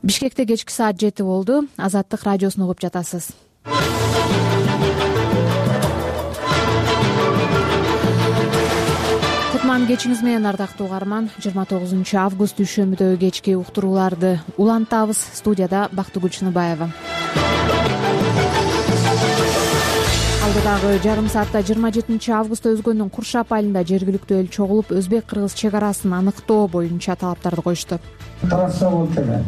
Бишкекте кечки саат 7 болду. Азаттык радиосун угуп жатасыз. Кутман кечиңиз менен, ардактуу угарман. 29 август дүйшөмбүдөгү кечки уктурууларды улантабыз. Студияда Бактыгүл Чыныбаева. Алдыдагы жарым саатта 27 августта өзгөндүн Куршап айылында жергиликтүү эл чогулуп, өзбек-кыргыз чек арасын аныктоо боюнча талаптарды коюшту. Трасса болчу эле.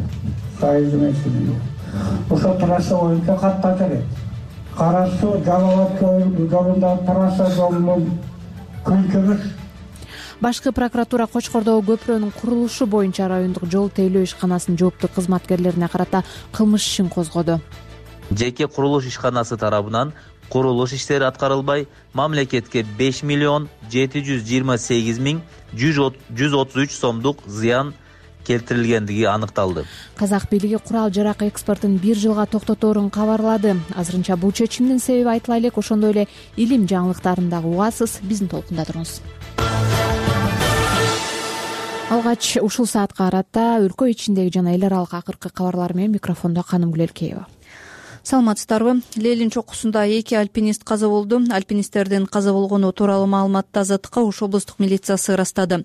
Ошо трасса боюнча катта керек. Кара Суу Жалал Абад жолунда трасса жолунун күнчүгүс. Башкы прокуратура Кочкордогу көпүрөнүн курулушу боюнча райондук жол тейлөө ишканасынын жооптуу кызматкерлерине карата кылмыш ишин козгоду. Жеке курулуш ишканасы тарабынан курулуш иштери аткарылбай, мамлекетке 5 миллион 728 миң 133 сомдук зыян келтирилгендиги аныкталды. Казак бийлиги курал-жарак экспортун 1 жылга токтоторун кабарлады. Азырынча бул чечимдин себеби айтыла элек. Ошондой эле илим жаңылыктарын дагы угасыз. Биздин толкунда туруңуз. Алгач ушул саатка карата өлкө ичиндеги жана эл аралык акыркы кабарлар менен микрофондо Канымгүл Элкеева. Саламатсыздарбы? Лелин чокусунда 2 альпинист каза болду. Альпинисттердин каза болгону тууралуу маалыматты Азаттыкка Ош облустук милициясы ырастады.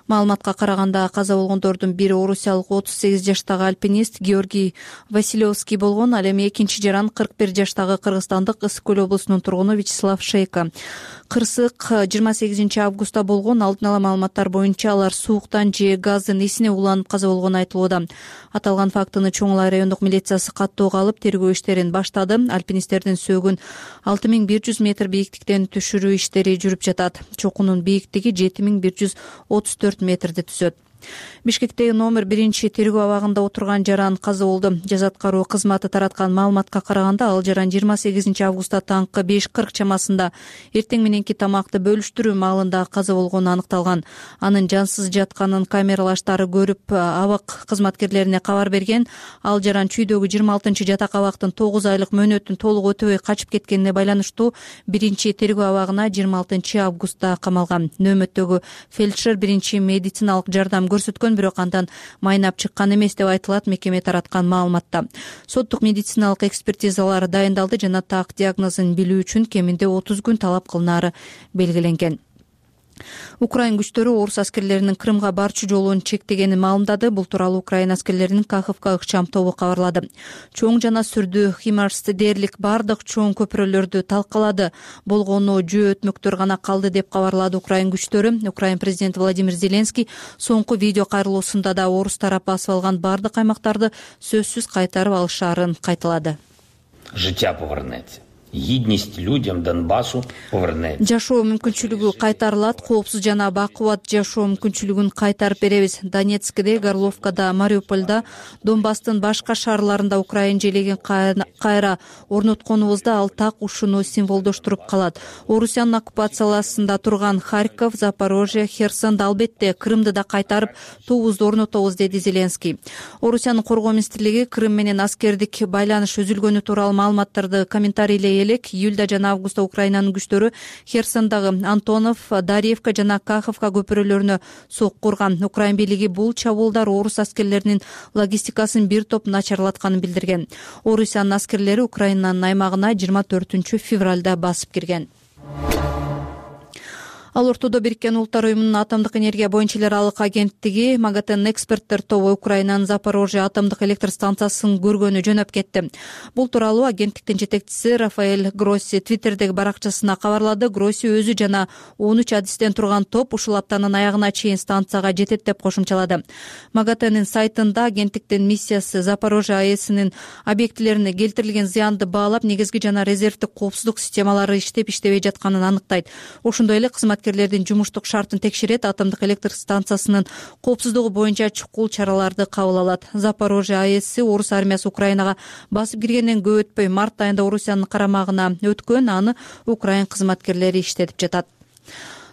Маалыматка караганда каза болгондордун бири орусиялык 38 жаштагы альпинист Георгий Василевский болгон. Ал эми экинчи жаран 41 жаштагы кыргызстандык Ысык көл облусунун тургуну Вячеслав Шейко. Кырсык 28 августта болгон. Алдын ала маалыматтар боюнча алар сууктан же газдын исине уланып каза болгону айтылууда. Аталган фактыны Чоң Улай райондук милициясы каттоого алып, тергөө иштерин баштады. Альпинисттердин сөөгүн 6100 метр бийиктиктен түшүрүү иштери жүрүп жатат. Чокунун бийиктиги 7134 метрди түзөт. Бишкектеги номер 1 тергөө абагында отурган жаран каза болду. Жаза аткаруу кызматы тараткан маалыматка караганда, ал жаран 28 августта таңкы 5:40 чамасында эртең мененки тамакты бөлүштүрүү маалында каза болгону аныкталган. Анын жансыз жатканын камералаштары көрүп, абак кызматкерлерине кабар берген. Ал жаран чүйдөгү 26 жатак абактын 9 айлык мөөнөтүн толук өтөбөй качып кеткенине байланыштуу 1 тергөө абагына 26 августта камалган. Нөөмөттөгү фельдшер 1 медициналык жардам көрсөткөн, бирок андан майнап чыккан эмес деп айтылат мекеме тараткан маалыматта. Соттук медициналык экспертизалар дайындалды жана так диагнозун билүү үчүн кеминде 30 күн талап кылынары белгиленген. Украин күчтөрү орус аскерлеринин Крымга барчу жолун чектегенин маалымдады. Бул тууралуу Украин аскерлеринин Каховка ыкчам тобу кабарлады. Чоң жана сүрдүү Химарс дээрлик бардык чоң көпүрөлөрдү талкалады. Болгону жөө өтмөктөр гана калды деп кабарлады Украин күчтөрү. Украин президенти Владимир Зеленский соңку видео кайрылуусунда да орус тарап басып алган бардык аймактарды сөзсүз кайтарып алышаарын кайталады. Життя повернеться. Гидность людям Донбассу повернеться. Жашоо мүмкүнчүлүгү кайтарылат, коопсуз жана бакубат жашоо мүмкүнчүлүгүн кайтарып беребиз. Донецкте, Горловкада, Мариупольда, Донбасстын башка шаарларында Украин желегин кайра орнотконубузда ал так ушуну символдоштуруп калат. Орусиянын оккупацияласында турган Харьков, Запорожье, Херсон, албетте Крымды да кайтарып туубузду орнотобуз, деди Зеленский. Орусиянын коргоо министрлиги Крым менен аскердик байланыш үзүлгөнү тууралуу маалыматтарды комментарийлей элек. Июлда жана августта Украинанын күчтөрү Херсондагы Антонов, Дарьевка жана Каховка көпүрөлөрүнө сокку урган. Украин бийлиги бул чабуулдар орус аскерлеринин логистикасын бир топ начарлатканын билдирген. Орусиянын аскерлери Украинанын аймагына 24 февралда басып кирген. Ал ортодо Бириккен Улуттар уюмунун атомдук энергия боюнча эл аралык агенттиги МАГАТЭн эксперттер тобу Украинанын Запорожье атомдук электр станциясын көргөнү жөнөп кетти. Бул тууралуу агенттиктин жетекчиси Рафаэль Гросси Твиттердеги баракчасына кабарлады. Гросси өзү жана 13 адистен турган топ ушул аптанын аягына чейин станцияга жетет деп кошумчалады. МАГАТЭнин сайтында агенттиктин миссиясы Запорожье АЭСинин объектилерине келтирилген зыянды баалап, негизги жана резервдик коопсуздук системалары иштеп-иштебей жатканын аныктайт. Ошондой эле кызматкерлердин жумуштук шартын текшерет, атомдук электр станциясынын коопсуздугу боюнча чукул чараларды кабыл алат. Запорожье АЭСи орус армиясы Украинага басып киргенден көп өтпөй март айында Орусиянын карамагына өткөн, аны Украин кызматкерлери иштетип жатат.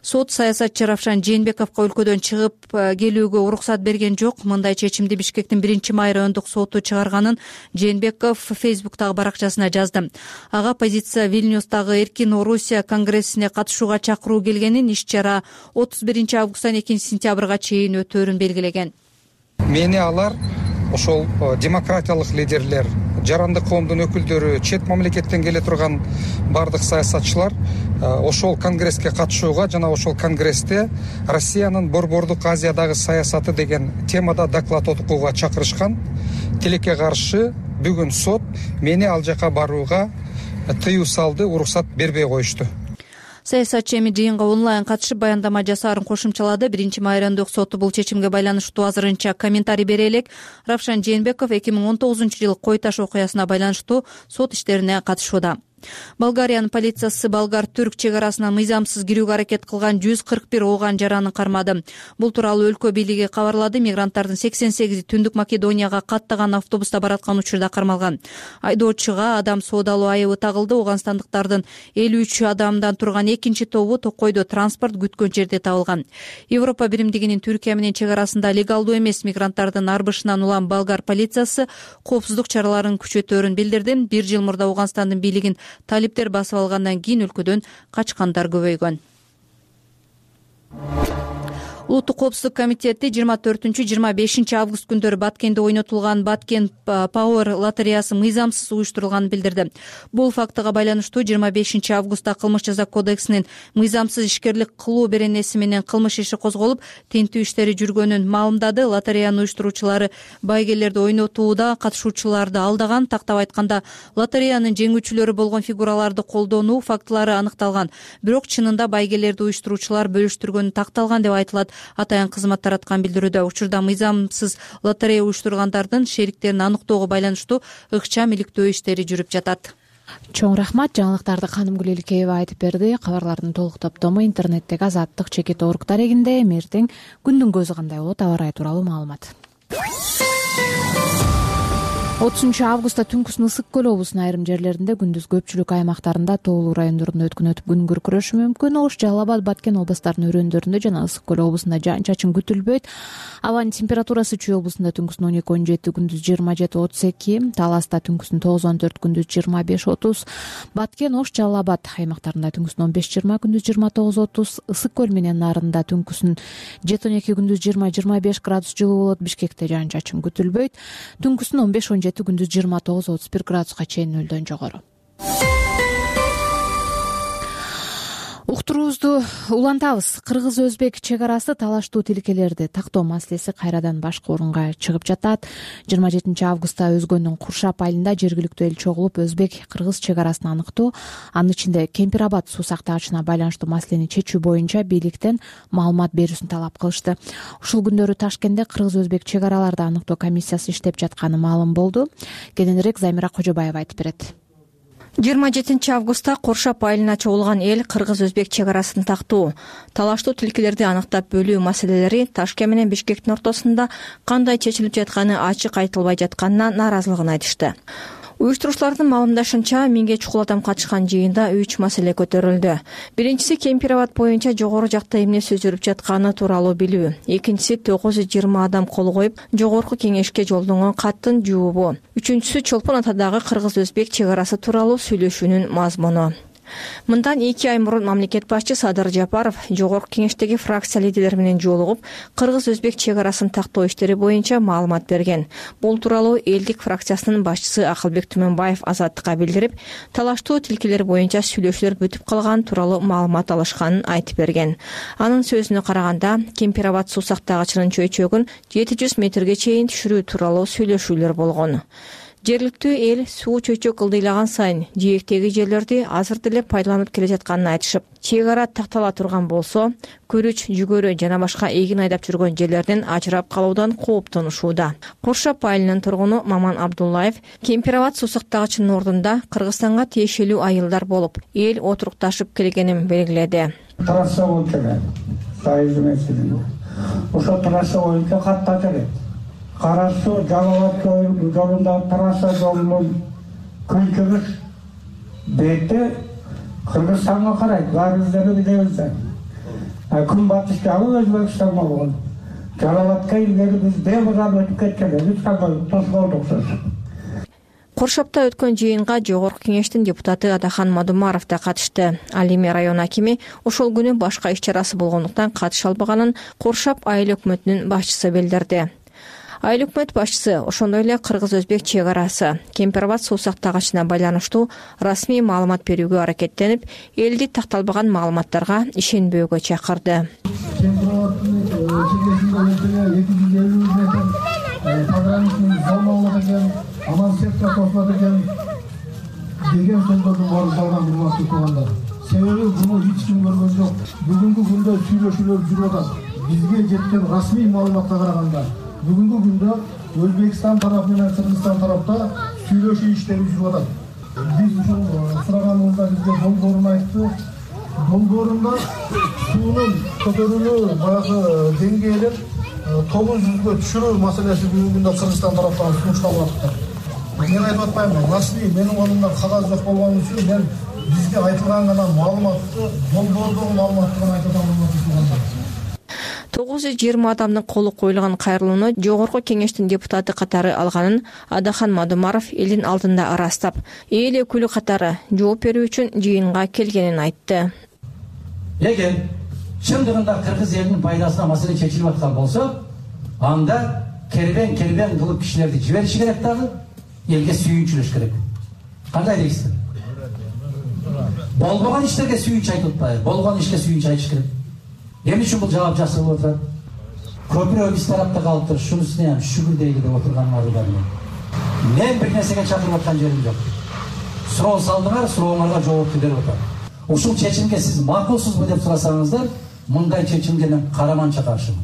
Сот саясатчы Равшан Жээнбековго өлкөдөн чыгып келүүгө уруксат берген жок. Мындай чечимди Бишкектин 1-май райондук соту чыгарганын Жээнбеков Фейсбуктагы баракчасына жазды. Ага позиция Вильнюстагы Эркин Орусия конгрессине катышууга чакыруу келгенин, иш-чара 31 августтан 2 сентябрга чейин өтөөрүн белгилеген. Мени алар ошол демократиялык лидерлер, жарандык коомдун өкүлдөрү, чет мамлекеттен келе турган бардык саясатчылар ошол конгресске катышууга жана ошол конгрессте Россиянын Борбордук Азиядагы саясаты деген темада доклад окууга чакырышкан. Тилекке каршы бүгүн сот мени ал жака барууга тыюу салды, уруксат бербей коюшту. Саясатчы эми жыйынга онлайн катышып баяндама жасаарын кошумчалады. 1-майрандык соту бул чечимге байланыштуу азырынча комментарий бере элек. Равшан Жээнбеков 2019-жылы Кой Таш окуясына байланыштуу сот иштерине катышууда. Болгариянын полициясы болгар-түрк чек арасына мыйзамсыз кирүүгө аракет кылган 141 ооган жараны кармады. Бул тууралуу өлкө бийлиги кабарлады. Мигранттардын 88-и Түндүк Македонияга каттаган автобуста бараткан учурда кармалган. Айдоочуга адам соодалоо айыбы тагылды. Ооганстандыктардын 53 адамдан турган экинчи тобу Токойдо транспорт күткөн жерде табылган. Европа биримдигинин Түркия менен чек арасында легалдуу эмес мигранттардын арбышынан улам болгар полициясы коопсуздук чараларын күчөтөөрүн билдирди. 1 жыл мурда Ооганстандын бийлигин талиптер басып алгандан кийин өлкөдөн качкандар көбөйгөн. Улуттук коопсуздук комитети 24-25 август күндөрү Баткенде ойнотулган Баткен Power лотереясы мыйзамсыз уюштурулганын билдирди. Бул фактыга байланыштуу 25 августта Кылмыш жаза кодексинин мыйзамсыз ишкерлик кылуу беренеси менен кылмыш иши козголуп, тинтүү иштери жүргөнүн маалымдады. Лотереянын уюштуруучулары байгелерди ойнотууда катышуучуларды алдаган, тактап айтканда лотереянын жеңүүчүлөрү болгон фигураларды колдонуу фактылары аныкталган. Бирок чынында байгелерди уюштуруучулар бөлүштүргөнү такталган деп айтылат. Атайын кызмат тараткан билдирүүдө учурда мыйзамсыз лотерея уюштургандардын шериктерин аныктоого байланыштуу ыкчам иликтөө иштери жүрүп жатат. Чоң рахмат. Жаңылыктарды Ханым Гүлеликеева айтып берди. Кабарлардын толук топтому интернеттеги Азаттык чекит орг дарегинде. Эртең күндүн көзү кандай болот, аба ырайы тууралуу маалымат. 30-августта түнкүсүн Ысык көл облусунун айрым жерлеринде, күндүз көпчүлүк аймактарында, тоолуу райондорунда өткөн өтүп күн күркүрөшү мүмкүн. Ош, Жалал Абад, Баткен областарынын өрөөндөрүндө жана Ысык көл облусунда жаан-чачын күтүлбөйт. Абанын температурасы Чүй облусунда түнкүсүн 12-17, күндүз 27-32, Таласта түнкүсүн 9-14, күндүз 25-30, Баткен, Ош, Жалал Абад аймактарында түнкүсүн 15-20, күндүз 29-30, Ысык көл менен нарында түнкүсүн 7-12, күндүз 20-25 градус жылуу болот. Бишкекте жаан-чачын күтүлбөйт. Түнкүсүн 15-17, күндүз 29-31 градуска чейин нөлдөн жогору. Уктуруубузду улантабыз. Кыргыз-өзбек чек арасы талаштуу тилкелерди тактоо маселеси кайрадан башкы орунга чыгып жатат. 27-августта Өзгөндүн Куршап айылында жергиликтүү эл чогулуп, өзбек-кыргыз чек арасын аныктоо, анын ичинде Кемпир-Абад суу сактагычына байланыштуу маселени чечүү боюнча бийликтен маалымат берүүсүн талап кылышты. Ушул күндөрү Ташкентте кыргыз-өзбек чек араларды аныктоо комиссиясы иштеп жатканы маалым болду. Кененирээк Замира Кожобаева айтып берет. 27-августта Куршап айылына чогулган эл кыргыз-өзбек чек арасын тактоо, талаштуу тилкелерди аныктап бөлүү маселелери Ташкент менен Бишкектин ортосунда кандай чечилип жатканы ачык айтылбай жатканына нааразылыгын айтышты. Уюштуруучулардын маалымдашынча, 1000ге чукул адам катышкан жыйында 3 маселе көтөрүлдү. Биринчиси Кемпир-Абад боюнча жогору жакта эмне сөз жүрүп жатканы тууралуу билүү. Экинчиси 920 адам кол коюп, жогорку кеңешке жолдонгон каттын жообу. Үчүнчүсү Чолпон Атадагы кыргыз-өзбек чек арасы тууралуу сүйлөшүүнүн мазмуну. Мындан 2 ай мурун мамлекет башчы Садыр Жапаров жогорку кеңештеги фракция лидерлери менен жолугуп, кыргыз-өзбек чек арасын тактоо иштери боюнча маалымат берген. Бул тууралуу элдик фракциясынын башчысы Акылбек Түмөнбаев Азаттыкка билдирип, талаштуу тилкелер боюнча сүйлөшүүлөр бүтүп калган тууралуу маалымат алышканын айтып берген. Анын сөзүнө караганда, Кемпир-Абад суу сактагычынын чөйчөгүн 700 метрге чейин түшүрүү тууралуу сүйлөшүүлөр болгон. Жергиликтүү эл суу чөйчөк ылдыйлаган сайын жээктеги жерлерди азыр деле пайдаланып келе жатканын айтышып, чек ара тактала турган болсо, күрүч, жүгөрү жана башка эгин айдап жүргөн жерлерден ажырап калуудан кооптонушууда. Куршап айылынын тургуну Маман Абдуллаев Кемпир-Абад суу сактагычынын ордунда Кыргызстанга тиешелүү айылдар болуп, эл отурукташып келгенин белгиледи. Трасса боюнча ошол трасса боюнча катта келет. Кара суу Жалал Абад жолунда трасса жолунун күнчүгүс бети Кыргызстанга карайт. Баарыбыз билебиз. Күн батыш жагы Өзбекстанга болгон. Жалал Абадка илгери биз бебуран өтүп кеткенбиз, тоскоолдук сөз. Куршапта өткөн жыйынга жогорку кеңештин депутаты Адахан Мадумаров да катышты. Ал эми район акими ошол күнү башка иш чарасы болгондуктан катыша албаганын Куршап айыл өкмөтүнүн башчысы билдирди. Айыл өкмөт башчысы ошондой эле кыргыз-өзбек чек арасы Кемпир-Абад суу сактагычына байланыштуу расмий маалымат берүүгө аракеттенип, элди такталбаган маалыматтарга ишенбөөгө чакырды. Кемпир-Абаддын чегесинде 250 метр пограничный зона болот экен, анан сетка кошулат экен деген сөздөрдүн баары жалган, урматтуу туугандар. Себеби буну эч ким көргөн жок. Бүгүнкү күндө сүйлөшүүлөр жүрүп атат. Бизге жеткен расмий маалыматка караганда бүгүнкү күндө Өзбекстан тарапы менен Кыргызстан тарапта сүйлөшүү иштери жүрүп атат. Биз ушул сураганыбызда бизге долбоорун айтты. Долбоорунда суунун көтөрүлүү баягы деңгээлин 900га түшүрүү маселеси бүгүнкү күндө Кыргызстан тараптан сунушталып атат. Мен айтып атпаймын, расмий менин колумда кагаз жок болгон үчүн мен бизге айтылган гана маалыматты, долбоордогу маалыматты гана айтып атам. 920 адамдын колу коюлган кайрылууну Жогорку Кеңештин депутаты катары алганын Адахан Мадумаров элдин алдында ырастап, эл өкүлү катары жооп берүү үчүн жыйынга келгенин айтты. Эгер чындыгында кыргыз элинин пайдасына маселе чечилип аткан болсо, анда кербен кылып кишилерди жибериши керек дагы, элге сүйүнчүлөш керек. Кандай дейсиз? Болбогон иштерге сүйүнч айтып атпайбы? Болгон ишке сүйүнч айтыш керек. Эмне үчүн бул жаап жакшы болуп атат? Көпүрө биз тарапта калып туруп, шунусуна ham шүгүр дейли деп отурганыңарды бар. Мен бир нерсеге чакырып аткан жерим жок. Суроо салдыңар, сурооңарга жоопту берип атам. Ушул чечимге сиз макулсузбу деп сурасаңыздар, мындай чечимге мен караманча каршымын.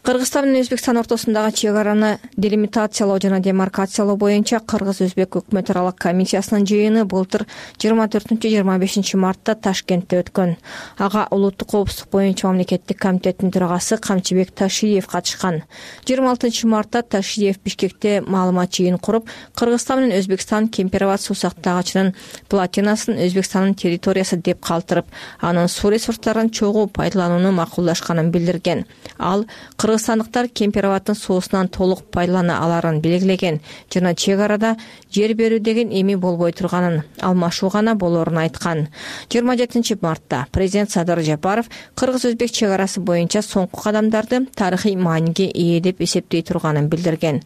Кыргызстан менен Өзбекстан ортосундагы чек араны делимитациялоо жана демаркациялоо боюнча Кыргыз-Өзбек өкмөт аралык комиссиясынын жыйыны былтыр 24-25 мартта Ташкентте өткөн. Ага улуттук коопсуздук боюнча мамлекеттик комитеттин төрагасы Камчыбек Ташиев катышкан. 26 мартта Ташиев Бишкекте маалымат жыйын куруп, Кыргызстан менен Өзбекстан Кемпир-Абад суу сактагычынын платинасын Өзбекстандын территориясы деп калтырып, анын суу ресурстарын чогуу пайдаланууну макулдашканын билдирген. Ал кыргызстандыктар Кемпир-Абаддын суусунан толук пайдалана аларын белгилеген жана чек арада жер берүү деген эми болбой турганын, алмашуу гана болорун айткан. 27 мартта президент Садыр Жапаров кыргыз-өзбек чек арасы боюнча соңку кадамдарды тарыхый мааниге ээ деп эсептей турганын билдирген.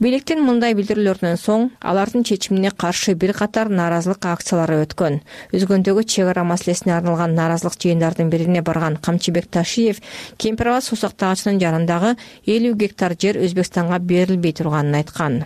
Бийликтин мындай билдирүүлөрүнөн соң алардын чечимине каршы бир катар нааразылык акциялары өткөн. Өзгөндөгү чек ара маселесине арналган нааразылык жыйындардын бирине барган Камчыбек Ташиев Кемпир-Абад суу сактагычынын жанындагы 50 гектар жер Өзбекстанга берилбей турганын айткан.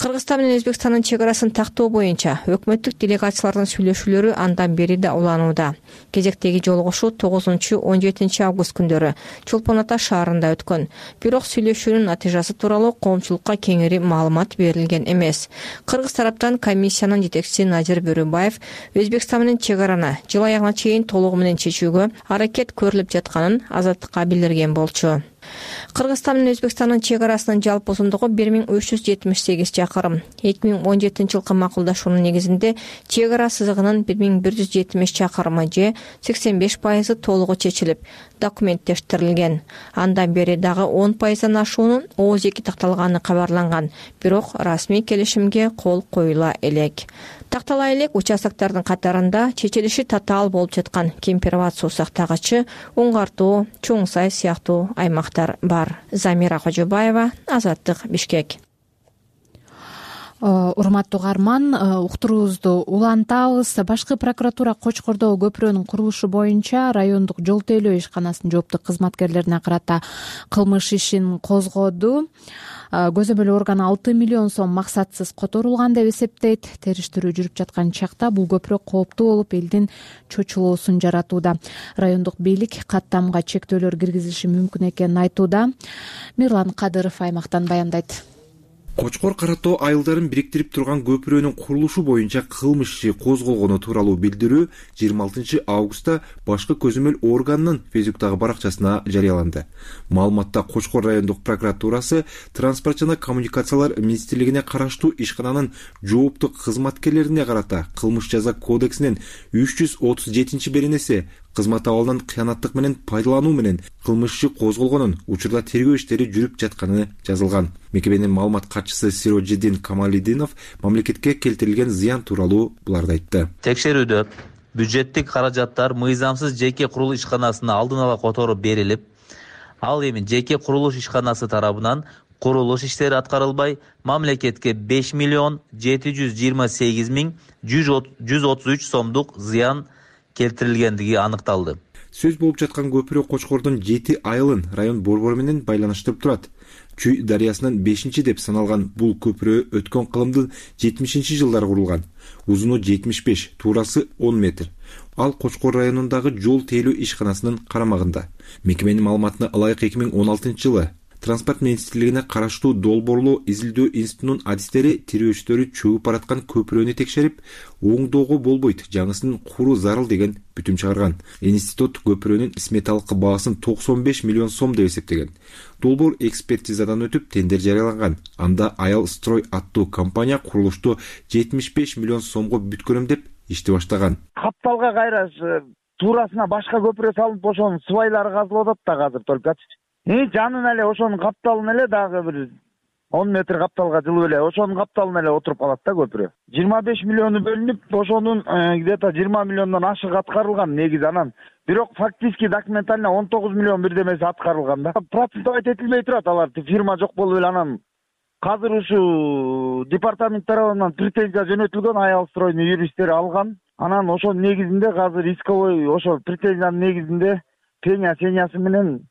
Кыргызстан менен Өзбекстандын чек арасын тактоо боюнча өкмөттүк делегациялардын сүйлөшүүлөрү андан бери да уланууда. Кезектеги жолугушуу 9-17 август күндөрү Чолпон Ата шаарында өткөн. Бирок сүйлөшүүнүн натыйжасы тууралуу коомчулукка кеңири маалымат берилген эмес. Кыргыз тараптан комиссиянын жетекчиси Назир Бөрөбаев Өзбекстан менен чек араны жыл аягына чейин толугу менен чечүүгө аракет көрүлүп жатканын Азаттыкка билдирген болчу. Кыргызстан менен Өзбекстандын чек арасынын жалпы узундугу 1378 чакырым. 2017 жылкы макулдашуунун негизинде чек ара сызыгынын 1170 чакырымы же 85% толугу чечилип, документтештирилген. Андан бери дагы 10% ашуунун ооз-2 такталганы кабарланган, бирок расмий келишимге кол коюла элек. Тактала элек участоктордун катарында чечилиши татаал болуп жаткан Кемпир-Абад суу сактагычы, Уңгартуу, Чоң Сай сыяктуу аймактар бар. Замира Кожобаева, Азаттык, Бишкек. Урматтуу угарман, уктуруубузду улантабыз. Башкы прокуратура Кочкордогу көпүрөнүн курулушу боюнча райондук жол тейлөө ишканасынын жооптуу кызматкерлерине карата кылмыш ишин козгоду. Көзөмөл орган 6 миллион сом максатсыз которулган деп эсептейт. Териштирүү жүрүп жаткан чакта бул көпүрө кооптуу болуп, элдин чочулоосун жаратууда. Райондук бийлик каттамга чектөөлөр киргизилиши мүмкүн экенин айтууда. Мирлан Кадыров аймактан баяндайт. Кочкор Каратоо айылдарын бириктирип турган көпүрөнүн курулушу боюнча кылмыш иши козголгону тууралуу билдирүү 26 августта башкы көзөмөл органынын Фейсбуктагы баракчасына жарыяланды. Маалыматта Кочкор райондук прокуратурасы Транспорт жана коммуникациялар министрлигине караштуу ишкананын жооптуу кызматкерлерине карата кылмыш жаза кодексинин 337 беренеси кызмат абалынан кыянаттык менен пайдалануу менен кылмыш иши козголгонун, учурда тергөө иштери жүрүп жатканы жазылган. Мекеменин маалымат катчысы Сироджиддин Камалидинов мамлекетке келтирилген зыян тууралуу буларды айтты. Текшерүүдө бюджеттик каражаттар мыйзамсыз жеке курулуш ишканасына алдын ала которуп берилип, ал эми жеке курулуш ишканасы тарабынан Курулуш иштери аткарылбай, мамлекетке 5,728,133 сомдук зыян келтирилгендиги аныкталды. Сөз болуп жаткан көпүрө Кочкордун 7 айылын район борбору менен байланыштырып турат. Чүй дарыясынан 5-чи деп саналган бул көпүрө өткөн кылымдын 70-жылдары курулган. Узуну 75, туурасы 10 метр. Ал Кочкор районундагы жол тейлөө ишканасынын карамагында. Мекеменин маалыматына ылайык 2016-жылы Транспорт министрлигине караштуу долбоорлоо изилдөө институтунун адистери тирөөчтөрү чөгүп бараткан көпүрөнү текшерип, оңдоого болбойт, жаңысын куруу зарыл деген бүтүм чыгарган. Институт көпүрөнүн сметалык баасын 95 миллион сом деп эсептеген. Долбоор экспертизадан өтүп, тендер жарыяланган. Анда Аял Строй аттуу компания курулушту 75 миллион сомго бүткөрөм деп ишти баштаган. Капталга кайра туурасына башка көпүрө салынып, ошонун свайлары казылып атат да азыр толкочу. Жанын эле ошонун капталын эле дагы бир 10 метр капталга жылып эле ошонун капталына эле отуруп калат да көпүрө. 25 миллиону бөлүнүп, ошонун где-то 20 миллиондон ашык аткарылган негизи анан. Бирок фактически документально 19 миллион бирдемеси аткарылган да. Процентовать этилбей турат, алар фирма жок болуп эле анан азыр ушу департамент тарабынан претензия жөнөтүлгөн, Аял Стройдун юристтери алган. Анан ошонун негизинде азыр исковой ошо претензиянын негизинде пеня-сенясы менен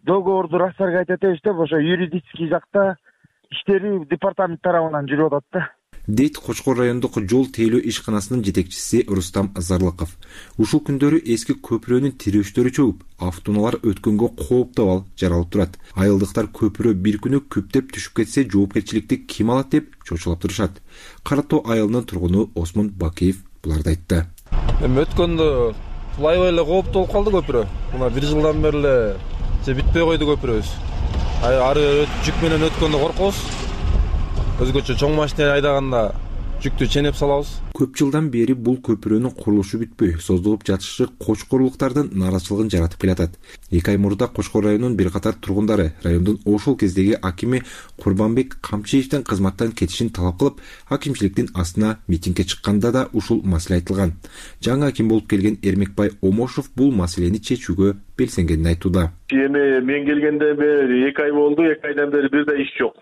договорду рассаргать этебиз деп ошо юридический жакта иштери департамент тарабынан жүрүп атат да. Дейт Кочкор райондук жол тейлөө ишканасынын жетекчиси Рустам Зарлыков. Ушул күндөрү эски көпүрөнүн тирөөчтөрү чөгүп, автоунаалар өткөнгө кооптуу абал жаралып турат. Айылдыктар көпүрө бир күнү күптеп түшүп кетсе жоопкерчиликти ким алат деп чочулап турушат. Каратоо айылынын тургуну Осмон Бакиев буларды айтты. Өткөндө флайвей эле кооптуу болуп калды көпүрө. Мына 1 жылдан бери эле бүтпөй койду көпүрөбүз. Ары жүк менен өткөндө коркобуз. Өзгөчө чоң машина айдаганда жүктү ченеп салабыз. Көп жылдан бери бул көпүрөнүн курулушу бүтпөй, создулуп жатышы кочкорлуктардын нааразычылыгын жаратып келатат. 2 ай мурда Кочкор районунун бир катар тургундары райондун ошол кездеги акими Курбанбек Камчиевдин кызматтан кетишин талап кылып, акимчиликтин астына митингге чыкканда да ушул маселе айтылган. Жаңы аким болуп келген Эрмекбай Омошов бул маселени чечүүгө белсенгенин айтууда. Эми мен келгенде 2 ай болду, 2 айдан бери бир да иш жок.